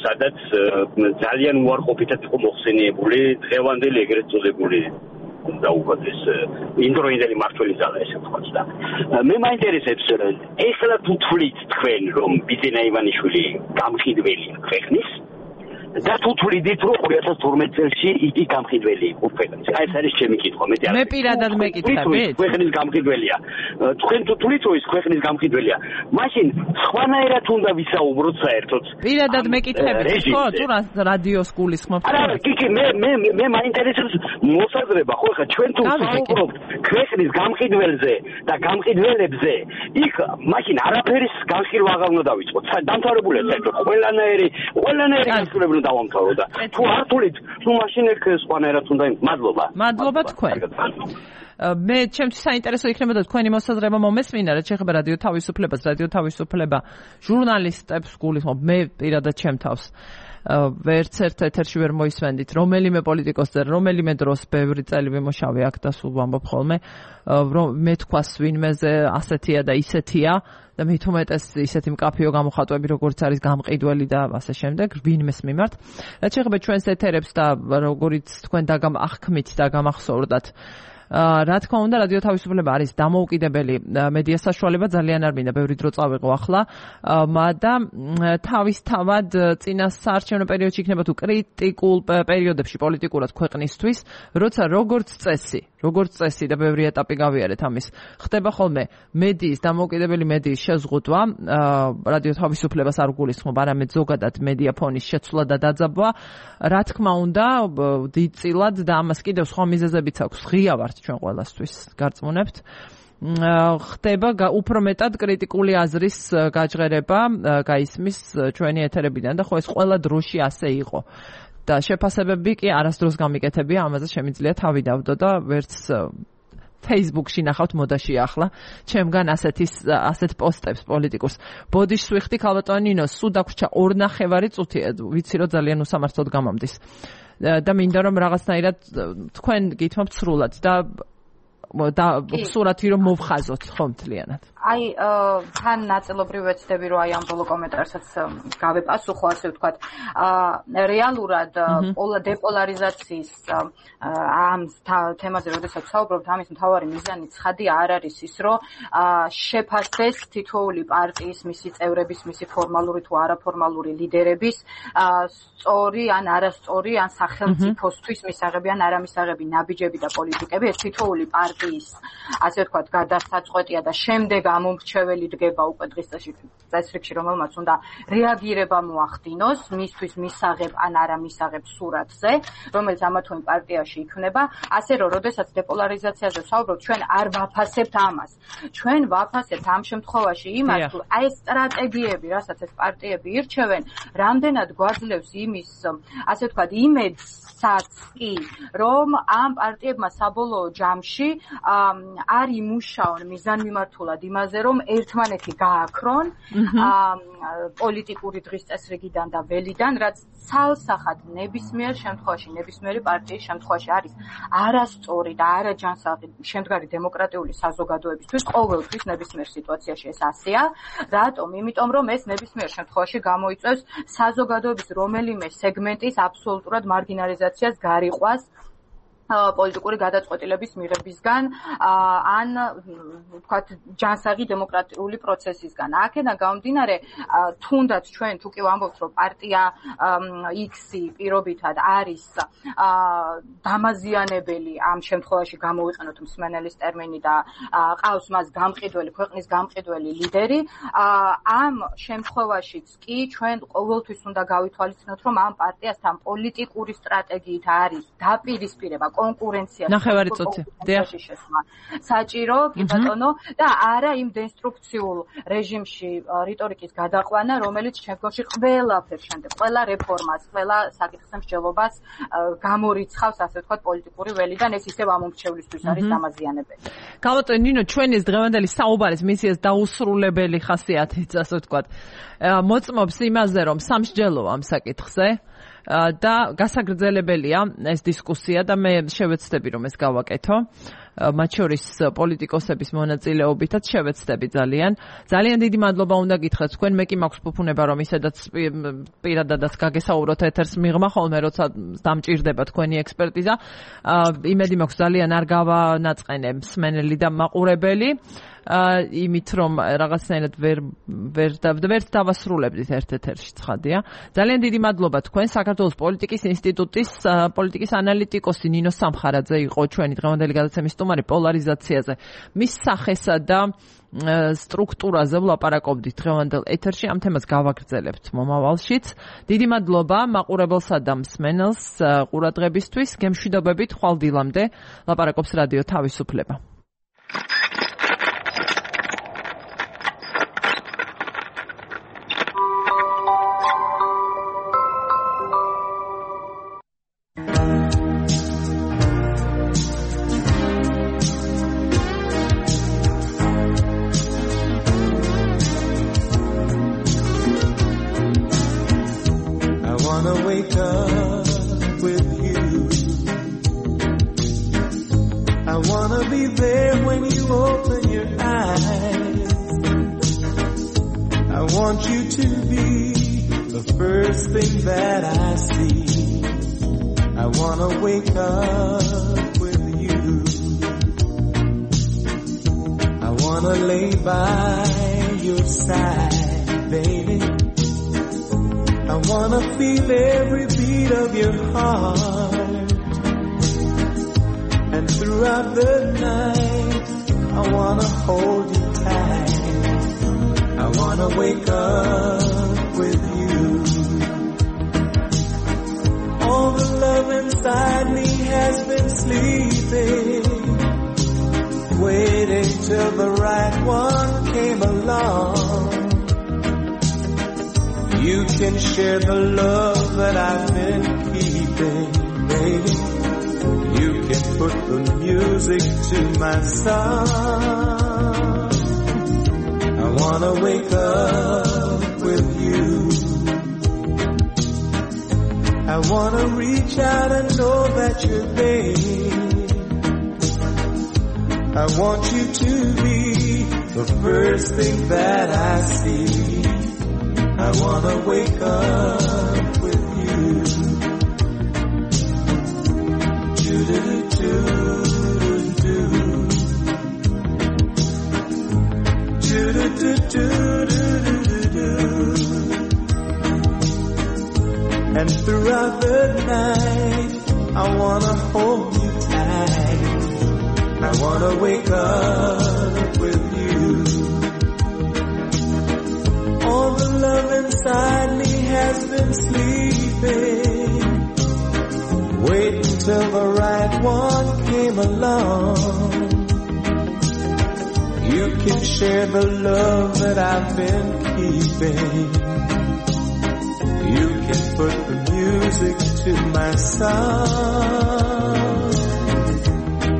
სადაც ძალიან უარყოფითად იყო მოხსენიებული დღევანდელი ეგრეთ წოდებული და უბრალოდ ეს ინდროინდელი მართველი ძალა ესე ვთქვათ და მე მაინტერესებს ეხლა თუ თვლით თქვენ რომ ბიძინა ივანიშვილი გამყიდველია ქვეყნის და თუ თვლიდით რომ 2012 წელს იგი გამყიდველი იყო ქვეყნის. აი ეს არის ჩემი კითხვა. მე პირადად მეკითხებით. ქვეყნის გამყიდველია. თქვენ თუ თვლით რომ ის ქვეყნის გამყიდველია, მაშინ სხვანაირად უნდა ვისაუბროთ საერთოდ. პირადად მეკითხებით, ხო? თუ რადიოს გულისხმობთ. არა, კი, მე მაინტერესებს მოსაზრება, ხო, ხა ჩვენ თუ ვსაუბრობთ ქვეყნის გამყიდველზე და გამყიდველებზე, იქ მაშინ არაფერის განხილვა აღარ უნდა დავიწყოთ. დამთავრებულია საერთოდ ყველანაირი განხილვები უნდა დავამთავრო და თუ არ თulit, თუ მაშინ ეგ სხვანაირად უნდა მადლობა. მადლობა თქვენ. მე ჩემთვის საინტერესო იქნებოდა თქვენი მოსაზრება მომესმინა, რაც შეეხება რადიო თავისუფლებას, რადიო თავისუფლება ჟურნალისტებს გულისხმობ, მე პირადად ჩემ თავს ვერც ერთ ეთერში ვერ მოისმენდით რომელიმე პოლიტიკოსზე, რომელიმე დროს ბევრი წელი ვიმუშავე აქ და სულ ვამბობ ხოლმე, რომ მე თქვას ვინმეზე ასეთია და ისეთია და მით უმეტეს ისეთი მკაფიო გამოხატვები როგორც არის გამყიდველი და ასე შემდეგ ვინმეს მიმართ. რაც შეეხება ჩვენს ეთერებს და როგორიც თქვენ აღქმით და გამახსოვრდათ, რა თქმა უნდა, რადიო თავისუფლება არის დამოუკიდებელი მედია საშუალება, ძალიან არ მინდა ბევრი დრო წავიღო ახლა, და თავისთავად წინასაარჩევნო პერიოდში იქნება თუ კრიტიკულ პერიოდებში პოლიტიკურად ქვეყნისთვის, როცა როგორც წესი და ბევრი ეტაპი გავიარეთ ამის, ხდება ხოლმე მედიის, დამოუკიდებელი მედიის შეზღუდვა, რადიო თავისუფლებას არ გულისხმობ, არამედ ზოგადად მედია ფონის შეცვლა და დაძაბვა, რა თქმა უნდა, დიდწილად და ამას კიდევ სხვა მიზეზებიც აქვს, ღია ვართ ჩვენ ყველასთვის გარწმუნებთ. ხდება უფრო მეტად კრიტიკული აზრის გაჟღერება გაისმის ჩვენი ეთერებიდან და ხო ეს ყველა დროში ასე იყო. და შეფასებები კი არასდროს გამიკეთებია, ამაზე შემიძლია თავი დავდო და ვერც Facebook-ში ნახავთ მოდაში ახლა ჩემგან ასეთ პოსტებს პოლიტიკურს. ბოდიშს ვიხდი ქალბატონი ნინო, სულ დაგვრჩა 2.5 წუთი, ვიცი რომ ძალიან უსამართლოდ გამომდის. და მინდა რომ რაღაცნაირად თქვენ გითმობთ სრულად და სურათი რომ მოვხაზოთ ხო მთლიანად. აი თან ნაწილობრივ ვეცდები რომ აი ამ ბოლო კომენტარსაც გავეპასუხო ასე ვთქვათ რეალურად დეპოლარიზაციის ამ თემაზე როდესაც ვსაუბრობთ ამის მთავარი მიზანი ცხადი არ არის ის რომ შეფასდეს თითოეული პარტიის მისი წევრების მისი ფორმალური თუ არაფორმალური ლიდერების სწორი ან არასწორი ან სახელმწიფოსთვის მისაღები ან არამისაღები ნაბიჯები და პოლიტიკები ეს თითოეული პარტიის ასე ვთქვათ გადასაწყვეტია და შემდეგ ამომრჩეველი დგება უკვე დღის წესრიგში რომელმაც უნდა რეაგირება მოახდინოს მისთვის მისაღებ ან არამისაღებ სურათზე რომელიც ამა თუ იმ პარტიაში იქნება ასე რომ როდესაც დეპოლარიზაციაზე ვსაუბრობთ ჩვენ არ ვაფასებთ ამას ჩვენ ვაფასებთ ამ შემთხვევაში იმას თუ აი ეს სტრატეგიები რასაც ეს პარტიები ირჩევენ რამდენად გვაძლევს იმის ასე ვთქვათ იმედსაც კი რომ ამ პარტიებმა საბოლოო ჯამში არ იმუშაონ მიზანმიმართულად იმაზე რომ ერთმანეთი გააქრონ პოლიტიკური დღის წესრიგიდან და ველიდან რაც ცალსახად ნებისმიერ შემთხვევაში ნებისმიერი პარტიის შემთხვევაში არის არასწორი და არაჯანსაღი შემდგარი დემოკრატიული საზოგადოებისთვის ყოველთვის ნებისმიერ სიტუაციაში ეს ასეა რატომ იმიტომ რომ ეს ნებისმიერ შემთხვევაში გამოიწვევს საზოგადოების რომელიმე სეგმენტის აბსოლუტურად მარგინალიზაციას გარიყვას პოლიტიკური გადაწყვეტილების მიღებისგან ან ვთქვათ ჯანსაღი დემოკრატიული პროცესისგან. აქედან გამომდინარე, თუნდაც ჩვენ თუ კი ვამბობთ, რომ პარტია X-ი პირობითად არის დამაზიანებელი ამ შემთხვევაში გამოვიყენოთ მსმენელის ტერმინი და ყავს მას გამყიდველი, ქვეყნის გამყიდველი ლიდერი, ამ შემთხვევაშიც კი ჩვენ ყოველთვის უნდა გავითვალისწინოთ, რომ ამ პარტიასთან პოლიტიკური სტრატეგიით არის დაპირისპირება კონკურენცია ნახევარი წუთი საჭირო კი ბატონო და არა იმ დესტრუქციულ რეჟიმში რიტორიკის გადაყვანა რომელიც შემდგომში ყველაფერს შემდეგ ყველა რეფორმას ყველა საკითხის მსჯელობას გამორიცხავს ასე ვთქვათ პოლიტიკური ველიდან ეს ისევ ამომრჩევლისთვის არის დამაზიანებელი. გამოტვენ ნინო ჩვენ ეს დღევანდელი საუბარის მისიას დაუსრულებელი ხასიათით ასე ვთქვათ მოწმობს იმაზე რომ სამსჯელოა ამ საკითხზე და გასაგრძელებელია ეს დისკუსია და მე შევეცდები რომ ეს გავაკეთო მათ შორის პოლიტიკოსების მონაწილეობითაც შევეცდები ძალიან დიდი მადლობა უნდა გითხრათ თქვენ მე კი მაქვს ფუფუნება რომ ისედაც პირადადაც გაგესაუბროთ ეთერს მიღმა ხოლმე როცა დამჭირდება თქვენი ექსპერტიზა იმედი მაქვს ძალიან არ გავანაწყენე მსმენელი და მაყურებელი იმით რომ რაღაცნაირად ვერ დავასრულებდით ერთ-ერთში ცხადია. ძალიან დიდი მადლობა თქვენ საქართველოს პოლიტიკის ინსტიტუტის პოლიტიკის ანალიტიკოსი ნინო სამხარაძე იყო ჩვენი დღევანდელი გადაცემის სტუმარი პოლარიზაციაზე. მის სახესა და სტრუქტურაზე ვლაპარაკობდით დღევანდელ ეთერში ამ თემას გავაგრძელებთ მომავალშიც. დიდი მადლობა მაყურებელსა და მსმენელს ყურადღებისთვის. გემშვიდობებით ხვალ დილამდე ლაპარაკობს რადიო თავისუფლება. the first thing that I see. I wanna wake up with you. And throughout the night, I wanna hold you tight. I wanna wake up with you. All the love inside me has been sleeping, waiting till the right one came along. You can share the love that I've been keeping. You can put the music to my song.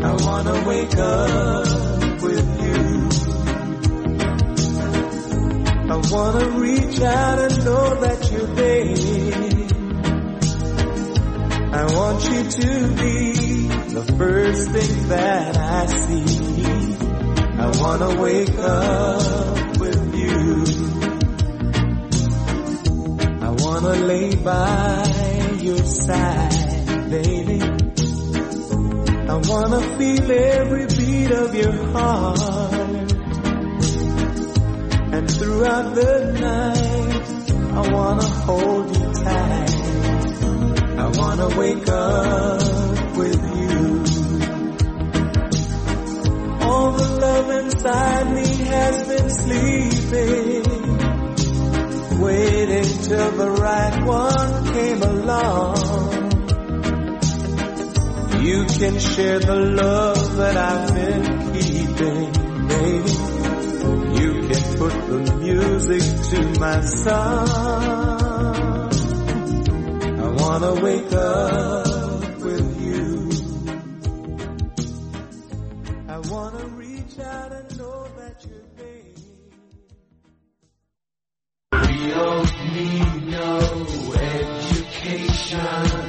I wanna wake up with you. I wanna reach out and know that you're there. I want you to be the first thing that I see. I wanna wake up with you. I wanna lay by your side, baby. I wanna feel every beat of your heart. And throughout the night, I wanna hold you tight. I wanna wake up with you. All the love inside me has been sleeping, waiting till the right one came along. You can share the love that I've been keeping, baby. You can put the music to my song. I wanna wake up with you. I wanna reach out and know that you're there. We don't need no education.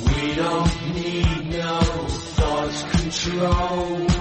We don't need no thought control.